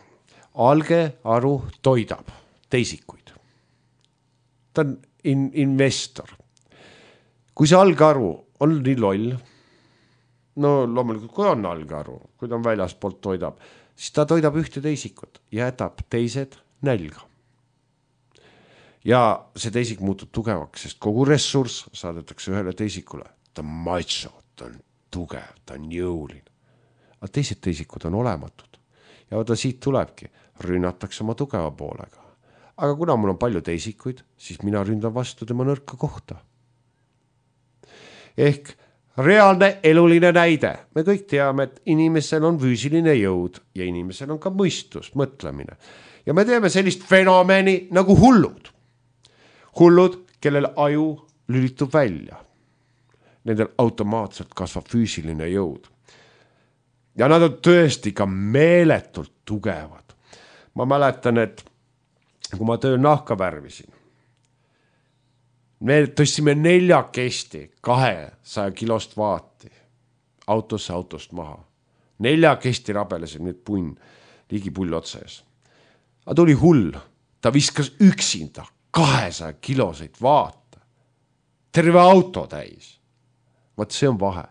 Algearu toidab teisikuid. Ta on investor. Kui see algearu on nii loll, no loomulikult kui on algearu, kui ta on väljaspoolt toidab, siis ta toidab ühte teisikut ja jätab teised nälga. Ja see teisik muutub tugevaks, sest kogu ressurss saadetakse ühele teisikule. Ta on macho, ta on tugev, ta on jõuline. Aga teised teisikud on olematud. Ja vaata siit tulebki, rünnatakse oma tugeva poolega. Aga kuna mul on palju teisikuid, siis mina ründan vastu tema nõrka kohta. Ehk reaalne eluline näide. Me kõik teame, et inimesel on füüsiline jõud ja inimesel on ka mõistus, mõtlemine. Ja me teeme sellist fenomeni nagu hullud. Hullud, kellel aju lülitub välja. Nendel automaatselt kasvab füüsiline jõud. Ja nad on tõesti ka meeletult tugevad. Ma mäletan, et kui ma tööl nahka värvisin, me tõstsime 4 200 kilost vaati autost maha. 4 rabelesid nüüd punn, ligi pull otsees. Aga tuli hull, ta viskas üksinda 200 kiloseid vaata. Terve auto täis. Vaat see on vahe.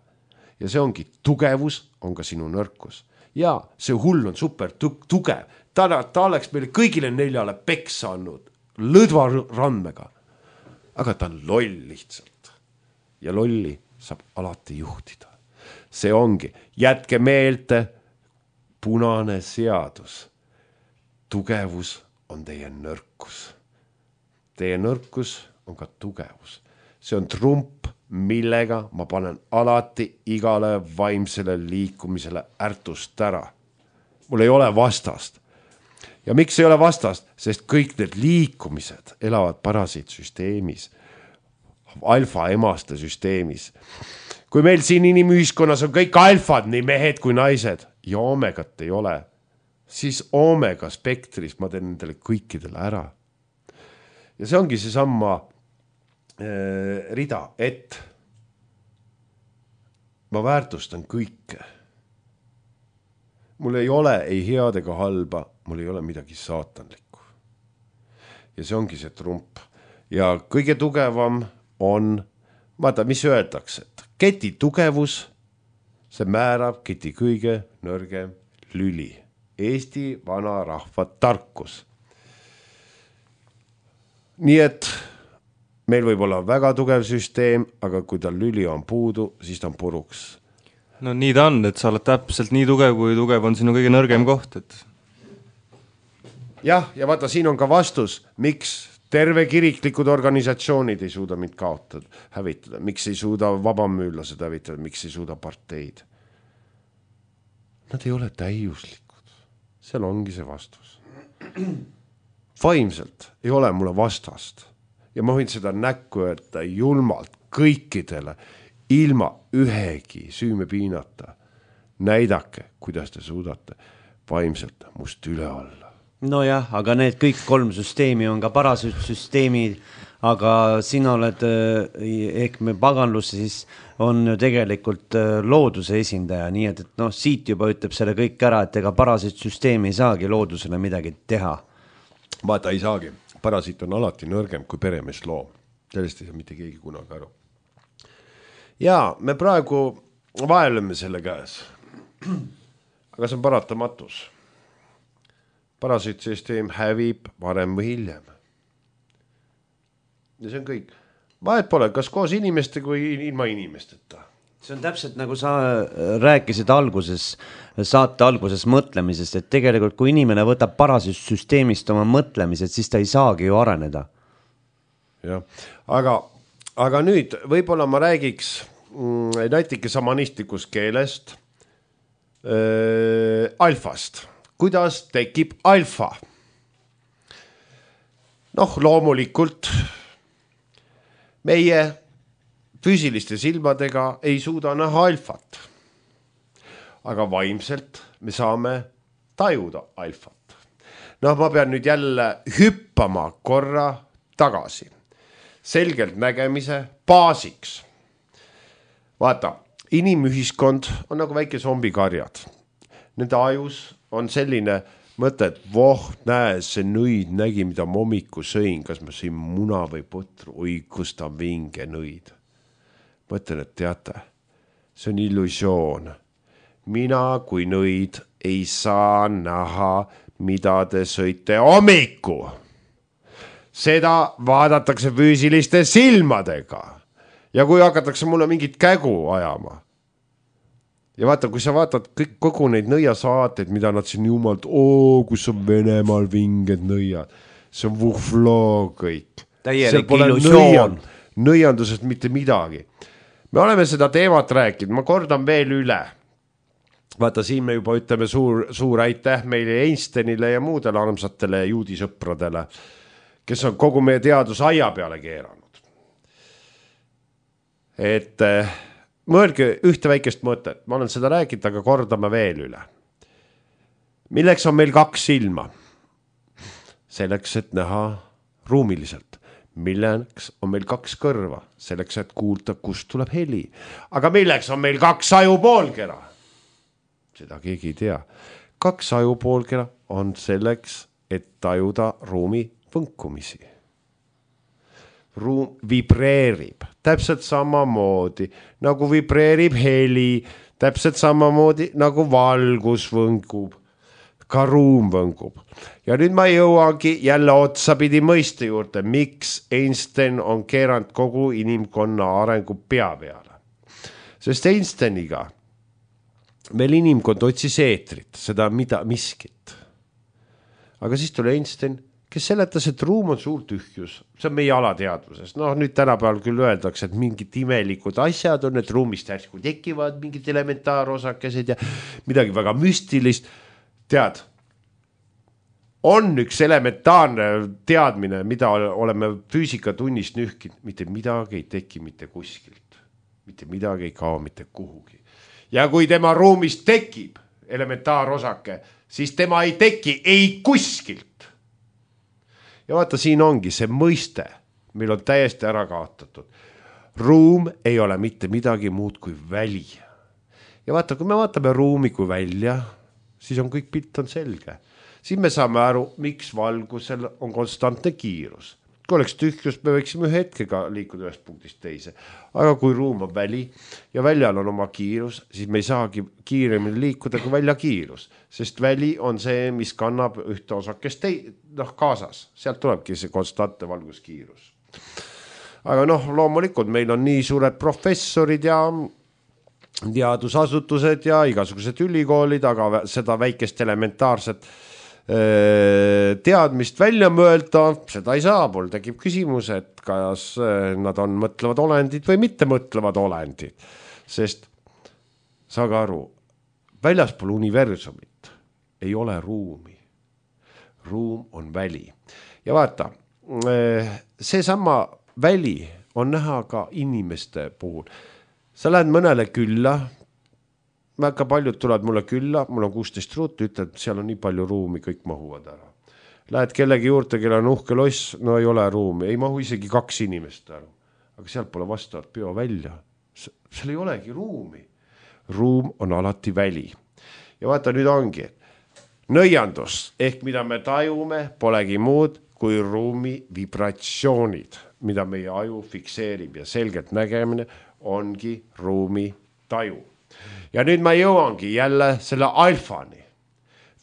Ja see ongi tugevus, on ka sinu nõrkus. Ja see hull on super tugev. Ta oleks meile kõigile 4 peksa andnud lõdva randmega. Aga ta on loll lihtsalt. Ja lolli saab alati juhtida. See ongi, jätke meelde punane seadus. Tugevus on teie nõrkus. Teie nõrkus on ka tugevus. See on trump, millega ma panen alati igale vaimsele liikumisele ärtust ära. Mul ei ole vastast. Ja miks ei ole vastast? Sest kõik need liikumised elavad parasiitsüsteemis, alfa-emaste süsteemis. Kui meil siin inimühiskonnas on kõik alfad, nii mehed kui naised, ja omegat ei ole, siis omega spektris ma teen nendele kõikidele ära. Ja see ongi see samma rida, et ma väärtustan kõike. Mul ei ole ei head ega halba, mul ei ole midagi saatanlikku. Ja see ongi see trump. Ja kõige tugevam on, vaata, mis öeldakse, et keti tugevus, see määrab keti kõige nõrgem lüli. Eesti vana rahva tarkus. Nii et meil võib olla väga tugev süsteem, aga kui tal lüli on puudu, siis ta on puruks. No nii ta on, et sa oled täpselt nii tugev, kui tugev on sinu kõige nõrgem koht. Et... Jah, ja vaata, siin on ka vastus, miks terve kiriklikud organisatsioonid ei suuda mind kaotada, hävitada, miks ei suuda vabamüürlased hävitada, miks ei suuda parteid. Nad ei ole täiuslikud. Seal ongi see vastus. Vaimselt ei ole mulle vastast. Ja ma võin seda näkku öelda julmalt kõikidele, ilma ühegi süüme piinata. Näidake, kuidas te suudate vaimselt must üle olla. No jah, aga need kõik 3 süsteemi on ka parasüsteemid, aga sina oled, ehk me paganlus siis on ju tegelikult looduse esindaja, nii et no, siit juba ütleb selle kõik ära, et ega parasüsteemi ei saagi loodusele midagi teha. Vaata, ei saagi. Parasiit on alati nõrgem kui peremees loom. Sellest ei saa mitte keegi kunagi aru. Ja me praegu vaeleme selle käes. Aga see on paratamatus. Parasiitsüsteem hävib varem või hiljem. Ja see on kõik. Vahet pole, kas koos inimeste kui ilma inimesteta. See on täpselt nagu sa rääkisid saate alguses mõtlemisest, et tegelikult kui inimene võtab parasüsteemist oma mõtlemised, siis ta ei saagi ju areneda. Ja, aga nüüd võib-olla ma räägiks näitike samanistlikus keelest alfast. Kuidas tekib alfa? noh, loomulikult meie füüsiliste silmadega ei suuda näha alfat. Aga vaimselt me saame tajuda alfat. Noh, ma pean nüüd jälle hüppama korra tagasi. Selgelt nägemise baasiks. Vaata, inimühiskond on nagu väike zombikarjad. Nende ajus on selline mõte, et näe, see nõid nägi, mida ma hommiku sõin, kas ma sõin muna või putru, oi, kus ta vinge nõid. Mõtlen, et teate, see on illusioon. Mina kui nõid ei saa näha, mida te sõite hommiku. Seda vaadatakse füüsiliste silmadega. Ja kui hakatakse mulle mingit kägu ajama. Ja vaata, kui sa vaatad kogu neid nõiasaateid, mida nad siin jumalt, kus on Venemaal vinged nõiad. See on vuhfloo kõik. Täielik illusioon. Nõiandusest mitte midagi. Me oleme seda teemat rääkinud, ma kordan veel üle. Vaata, siin me juba ütleme suur aitäh meile Einsteinile ja muudele armsatele juudisõpradele, kes on kogu meie teadus aia peale keeranud. Et mõelge ühte väikest mõtet, ma olen seda rääkinud, aga kordame veel üle. Milleks on meil 2 silma? Selleks, et näha ruumiliselt. Milleks on meil 2 kõrva? Selleks, et kuulda, kust tuleb heli. Aga milleks on meil 2 ajupoolkera? Seda keegi ei tea. 2 ajupoolkera on selleks, et tajuda ruumi võnkumisi. Ruum vibreerib täpselt samamoodi, nagu vibreerib heli, täpselt samamoodi, nagu valgus võngub, ka ruum võngub. Ja nüüd ma jõuangi jälle otsapidi mõiste juurde, miks Einstein on keeranud kogu inimkonna arengu pea peale. Sest Einsteiniga meil inimkond otsis eetrit, seda miskit. Aga siis tuli Einstein, kes seletas, et ruum on suur tühjus. See on meie alateadvuses. No nüüd tänapäeval küll öeldakse, et mingid imelikud asjad on, et ruumist järsku tekivad mingid elementaarosakesed ja midagi väga müstilist. Tead, on üks elementaarne teadmine, mida oleme füüsikatunnist nühkinud. Mitte midagi ei teki mitte kuskilt. Mitte midagi ei kao mitte kuhugi. Ja kui tema ruumist tekib elementaarosake, siis tema ei teki ei kuskilt. Ja vaata, siin ongi see mõiste, meil on täiesti ära kaotatud. Ruum ei ole mitte midagi muud kui väli. Ja vaata, kui me vaatame ruumi kui välja, siis on kõik pilt on selge. Siis me saame aru, miks valgusel on konstantne kiirus. Kui oleks tühjus, me võiksime ühe hetkega liikuda ühest punktist teise. Aga kui ruum on väli ja väljal on oma kiirus, siis me ei saagi kiiremini liikuda kui välja kiirus. Sest väli on see, mis kannab ühte osakest kaasas. Sealt tulebki see konstantne valguskiirus. Aga loomulikult meil on nii suured professorid ja teadusasutused ja igasugused ülikoolid, aga seda väikest elementaarset teadmist välja mõelda, seda ei saa, mul tekib küsimus, et kas nad on mõtlevad olendid või mitte mõtlevad olendid, sest saage aru, väljaspool universumit ei ole ruumi. Ruum on väli. Ja vaata, seesama väli on näha ka inimeste puhul. Sa lähed mõnele külla, väga paljud tulevad mulle külla, mul on 16 ruutu, ütled, seal on nii palju ruumi, kõik mahuvad ära. Lähed kellegi juurde, kelle on uhke loss, no ei ole ruumi, ei mahu isegi 2 inimest ära. Aga sealt pole vastavat peo välja. Seal ei olegi ruumi. Ruum on alati väli. Ja vaata, nüüd ongi, nõiandus, ehk mida me tajume, polegi muud kui ruumi vibratsioonid, mida meie aju fikseerib ja selgelt nägemine ongi ruumi taju. Ja nüüd ma jõuangi jälle selle alfani.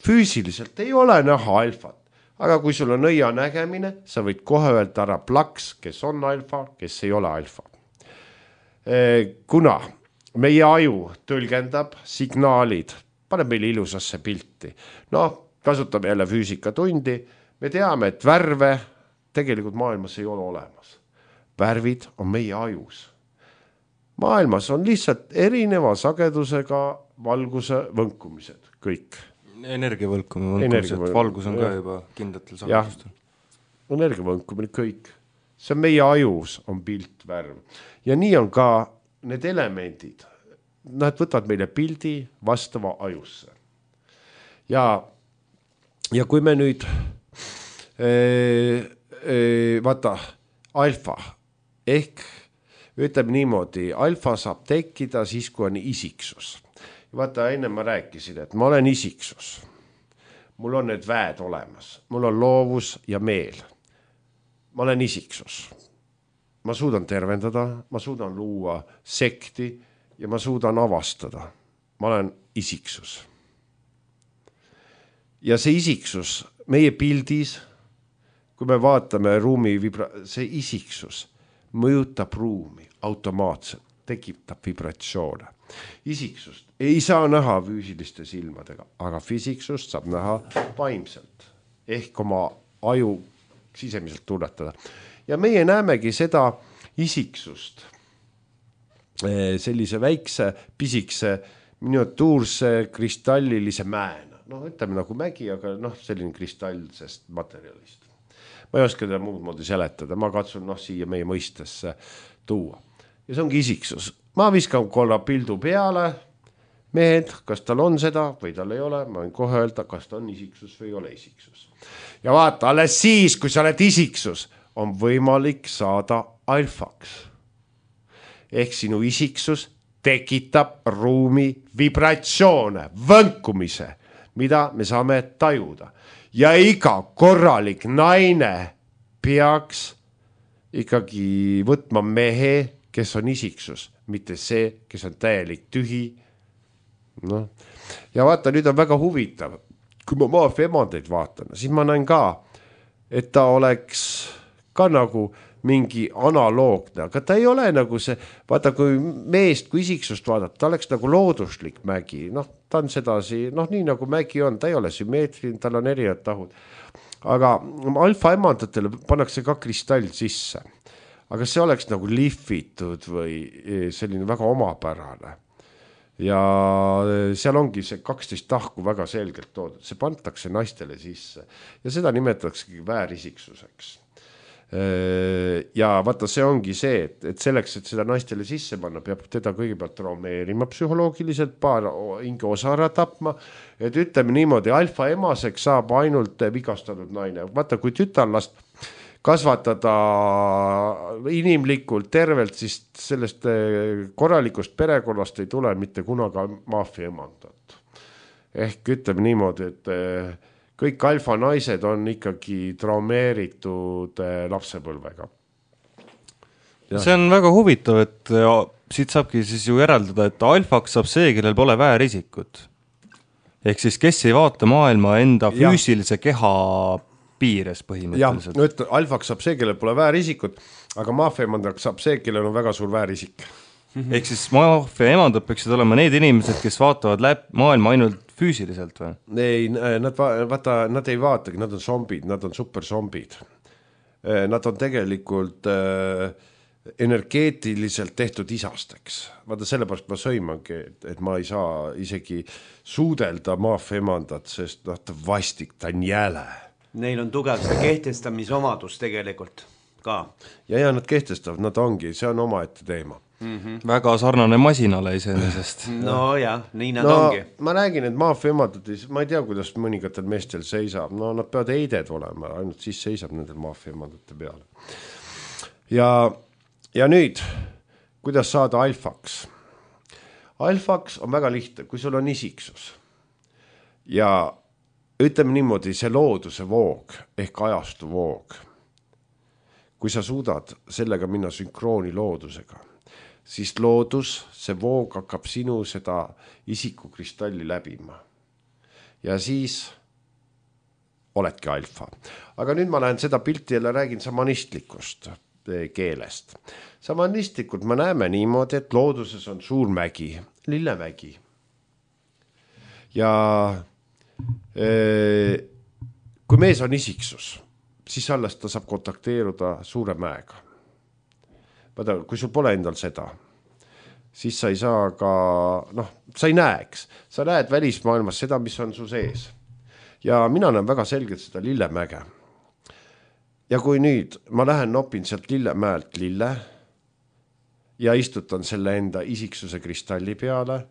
Füüsiliselt ei ole näha alfat, aga kui sul on nõia nägemine, sa võid kohe öelda ära plaks, kes on alfa, kes ei ole alfa. Kuna meie aju tõlgendab signaalid, paneb meile ilusasse pilti. Kasutame jälle füüsikatundi, me teame, et värve tegelikult maailmas ei ole olemas. Värvid on meie ajus. Maailmas on lihtsalt erineva sagedusega valguse võnkumised, kõik. Energiavõlkumine, valgus on ka juba kindlatel sagedustel. energiavõnkumine, kõik. See on meie ajus, on pilt, värv. Ja nii on ka need elemendid. Nad võtavad meile pildi vastava ajusse. Ja kui me nüüd vaata, alfa ehk ütleme niimoodi, alfa saab tekkida siis, kui on isiksus. Vaata, enne ma rääkisin, et ma olen isiksus. Mul on need väed olemas. Mul on loovus ja meel. Ma olen isiksus. Ma suudan tervendada, ma suudan luua sekti ja ma suudan avastada. Ma olen isiksus. Ja see isiksus meie pildis, kui me vaatame ruumi see isiksus mõjutab ruumi automaatselt, tekitab vibratsioone. Isiksust ei saa näha füüsiliste silmadega, aga füüsiksust saab näha vaimselt ehk oma aju sisemiselt tunnetada. Ja meie näemegi seda isiksust sellise väikse, pisikse, miniatuurse kristallilise mäena. Ütleme nagu mägi, aga selline kristallsest materjalist. Ma ei oska teda muud moodi seletada, ma katsun siia meie mõistesse tuua. Ja see ongi isiksus. Ma viskan korra pildu peale, mehed, kas tal on seda või tal ei ole, ma võin kohe öelda, kas ta on isiksus või ei ole isiksus. Ja vaata, alles siis, kui sa oled isiksus, on võimalik saada alfaks. Ehk sinu isiksus tekitab ruumi vibratsioone, võnkumise, mida me saame tajuda. Ja iga korralik naine peaks ikkagi võtma mehe, kes on isiksus, mitte see, kes on täielik tühi. Ja vaata, nüüd on väga huvitav. Kui ma maafia emandeid vaatan, siis ma näen ka, et ta oleks ka nagu mingi analoogne, aga ta ei ole nagu see, vaata kui meest, kui isiksust vaadata, ta oleks nagu looduslik mägi, ta on sedasi, nii nagu mägi on, ta ei ole sümmeetriline, tal on erinevad tahud. Aga alfa emandatele pannakse ka kristall sisse, aga see oleks nagu lihvitud või selline väga omapärane. Ja seal ongi see 12 tahku väga selgelt toodud, see pantakse naistele sisse ja seda nimetatakse väärisiksuseks. Ja vaata, see ongi see, et selleks, et seda naistele sisse panna, peab teda kõigepealt traumeerima psühholoogiliselt, paar hinge osa ära tapma, et ütleme niimoodi, alfa emaseks saab ainult vigastatud naine. Vaata, kui tütarlast kasvatada inimlikult tervelt, siis sellest korralikust perekonnast ei tule mitte kunagi maafia emandat. Ehk ütleme niimoodi, et kõik alfa naised on ikkagi traumeeritud lapsepõlvega. Ja. See on väga huvitav, et siit saabki siis ju järeldada, et alfaks saab see, kellel pole väärisikut. Ehk siis kes ei vaata maailma enda füüsilise keha piires põhimõtteliselt. Alfaks saab see, kellel pole väärisikut, aga maafia emandaks saab see, kellel on väga suur väärisik. Ehk siis maafia emandad peaksid olema need inimesed, kes vaatavad maailma ainult füüsiliselt või? Ei, nad ei vaatagi, nad on zombid, nad on superzombid. Nad on tegelikult energeetiliselt tehtud isasteks. Vaata, sellepärast ma sõimangi, et ma ei saa isegi suudelda maafia emandat, sest ta vastik, ta on jäle. Neil on tugev see kehtestamisomadus tegelikult ka. Ja nad kehtestavad, nad ongi, see on omaette teema. Väga sarnane masinale iseenesest. No jah, nii nad ongi. Ma räägin, et maafia emandad, ma ei tea, kuidas mõningatel meestel seisab. Nad peavad eided olema, ainult siis seisab nendel maafia emandate peale. Ja nüüd, kuidas saada alfaks? Alfaks on väga lihtne, kui sul on isiksus. Ja ütleme niimoodi, see looduse voog ehk ajastu voog. Kui sa suudad sellega minna sünkrooni loodusega, siis loodus, see voog hakkab sinu seda isikukristalli läbima. Ja siis oledki alfa. Aga nüüd ma lähen seda pilti jälle räägin samanistlikust keelest. Samanistlikult me näeme niimoodi, et looduses on suur mägi, lillemägi. Ja kui mees on isiksus, siis alles ta saab kontakteeruda suure mäega. Vaata, kui sul pole endal seda, siis sa ei saa ka, sa ei näeks. Sa näed välismaailmas seda, mis on su sees. Ja mina näen väga selgelt seda lillemäge. ja kui nüüd ma lähen nopin sealt Lillemäelt lille ja istutan selle enda isiksuse kristalli peale,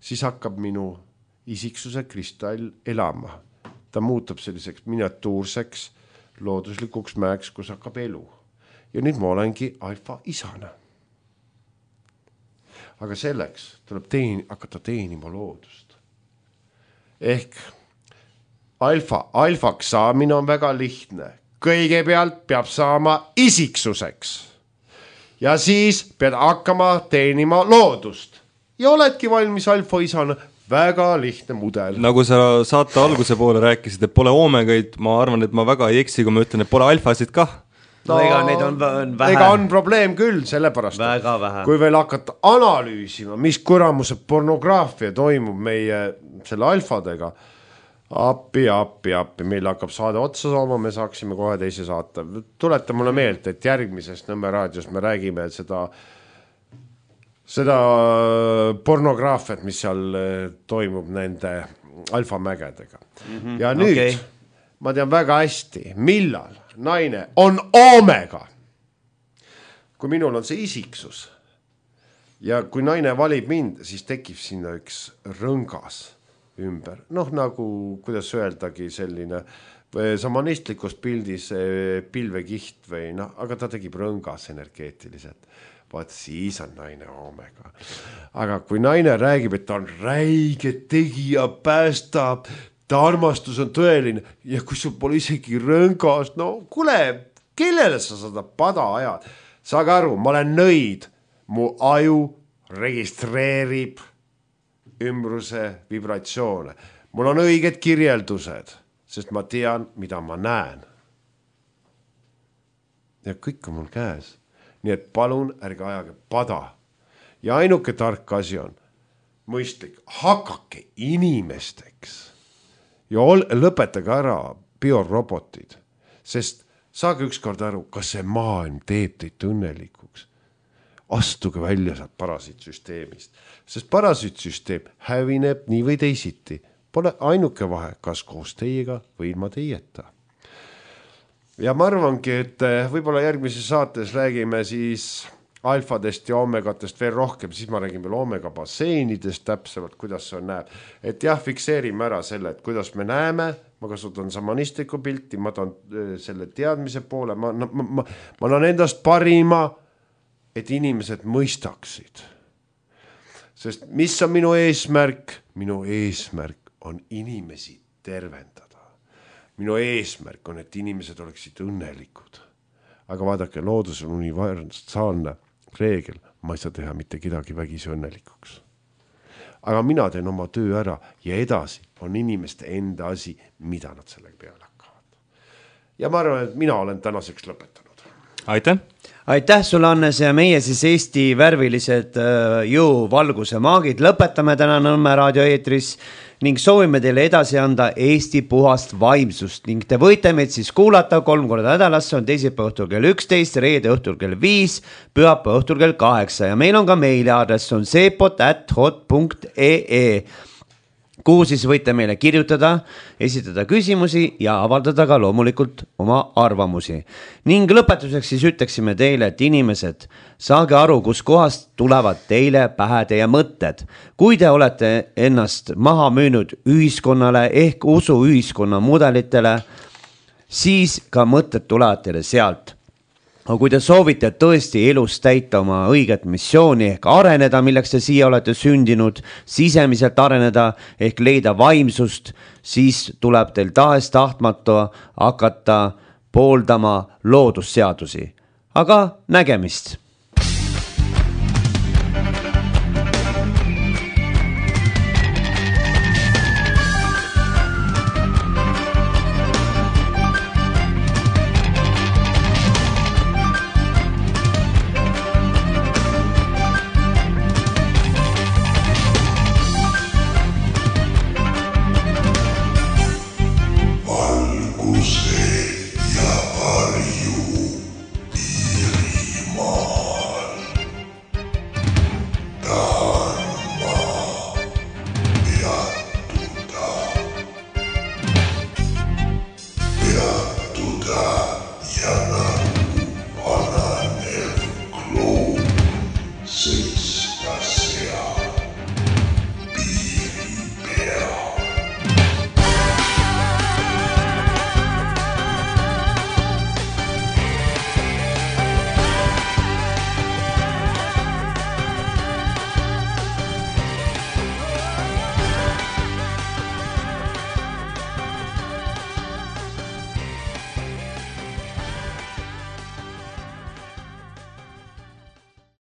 siis hakkab minu isiksuse kristall elama. Ta muutub selliseks miniatuurseks looduslikuks mäeks, kus hakkab elu. Ja nüüd ma olengi alfa isana. Aga selleks tuleb hakata teenima loodust. Ehk alfaks saamine on väga lihtne. Kõigepealt peab saama isiksuseks. Ja siis pead hakkama teenima loodust. Ja oledki valmis alfa isana. Väga lihtne mudel. Nagu sa saate alguse poole rääkisid, et pole oomegaid, ma arvan, et ma väga ei eksi, kui ma ütlen, et pole alfasid kah. No ega neid on vähe. Ega on probleem küll, sellepärast. Väga vähe. Kui veel hakata analüüsima, mis kuramuse pornograafia toimub meie selle alfadega, appi, meil hakkab saade otsa saama, me saaksime kohe teise saata. Tuleta mulle meelt, et järgmises Nõmme raadios me räägime seda pornograafiat, mis seal toimub nende alfamägedega. Ja nüüd ma tean väga hästi, millal naine on oomega. Kui minul on see isiksus ja kui naine valib mind, siis tekib sinna üks rõngas ümber. Noh, nagu, kuidas öeldagi selline samanistlikus pildis pilvekiht või aga ta tegib rõngas energeetiliselt. Vaat siis on naine oomega. Aga kui naine räägib, et ta on räige tegija, päästab, ta armastus on tõeline ja kui sul pole isegi rõngas, no kuule, kellele sa seda pada ajad? Saage aru, ma olen nõid, mu aju registreerib ümbruse vibratsioone. Mul on õiged kirjeldused, sest ma tean, mida ma näen. Ja kõik on mul käes. Nii et palun ärge ajage pada. Ja ainuke tark asi on mõistlik, hakake inimesteks ja lõpetage ära biorobotid, sest saage ükskord aru, kas see maailm teeb teid õnnelikuks. Astuge välja sealt parasiitsüsteemist, sest parasiitsüsteem hävineb nii või teisiti. Pole ainuke vahe, kas koos teiega või ilma teieta. Ja ma arvangi, et võib-olla järgmises saates räägime siis alfadest ja omegatest veel rohkem, siis ma räägin veel omega basseinidest täpsemalt, kuidas see on näeb. Et jah, fikseerime ära selle, et kuidas me näeme, ma kasutan samanistlikku pilti, ma tahan selle teadmise poole, ma annan endast parima, et inimesed mõistaksid. Sest mis on minu eesmärk? Minu eesmärk on inimesi tervendada. Minu eesmärk on, et inimesed oleksid õnnelikud. Aga vaadake, loodus on universaalne reegel. Ma ei saa teha mitte kedagi vägisi õnnelikuks. Aga mina teen oma töö ära ja edasi on inimeste enda asi, mida nad sellega peale hakkavad. Ja ma arvan, et mina olen tänaseks lõpetanud. Aitäh! Aitäh sulle, Annes, ja meie siis Eesti värvilised jõuvalguse maagid lõpetame täna Nõmme raadio eetris ning soovime teile edasi anda Eesti puhast vaimsust ning te võite meid siis kuulata 3 korda nädalas, see on teisipäeva õhtul kell 11, reede õhtul kell 5, pühapäeva õhtul kell 8 ja meil on ka meiliaadress, on sepot@hot.ee, kuhu siis võite meile kirjutada, esitada küsimusi ja avaldada ka loomulikult oma arvamusi. Ning lõpetuseks siis ütleksime teile, et inimesed, saage aru, kus kohast tulevad teile pähe teie mõtted. Kui te olete ennast maha müünud ühiskonnale ehk usu ühiskonna mudelitele, siis ka mõtted tulevad teile sealt. Aga kui te soovite tõesti elus täita oma õiget missiooni ehk areneda, milleks te siia olete sündinud, sisemiselt areneda ehk leida vaimsust, siis tuleb teil tahes tahtmatu hakata pooldama loodusseadusi. Aga nägemist!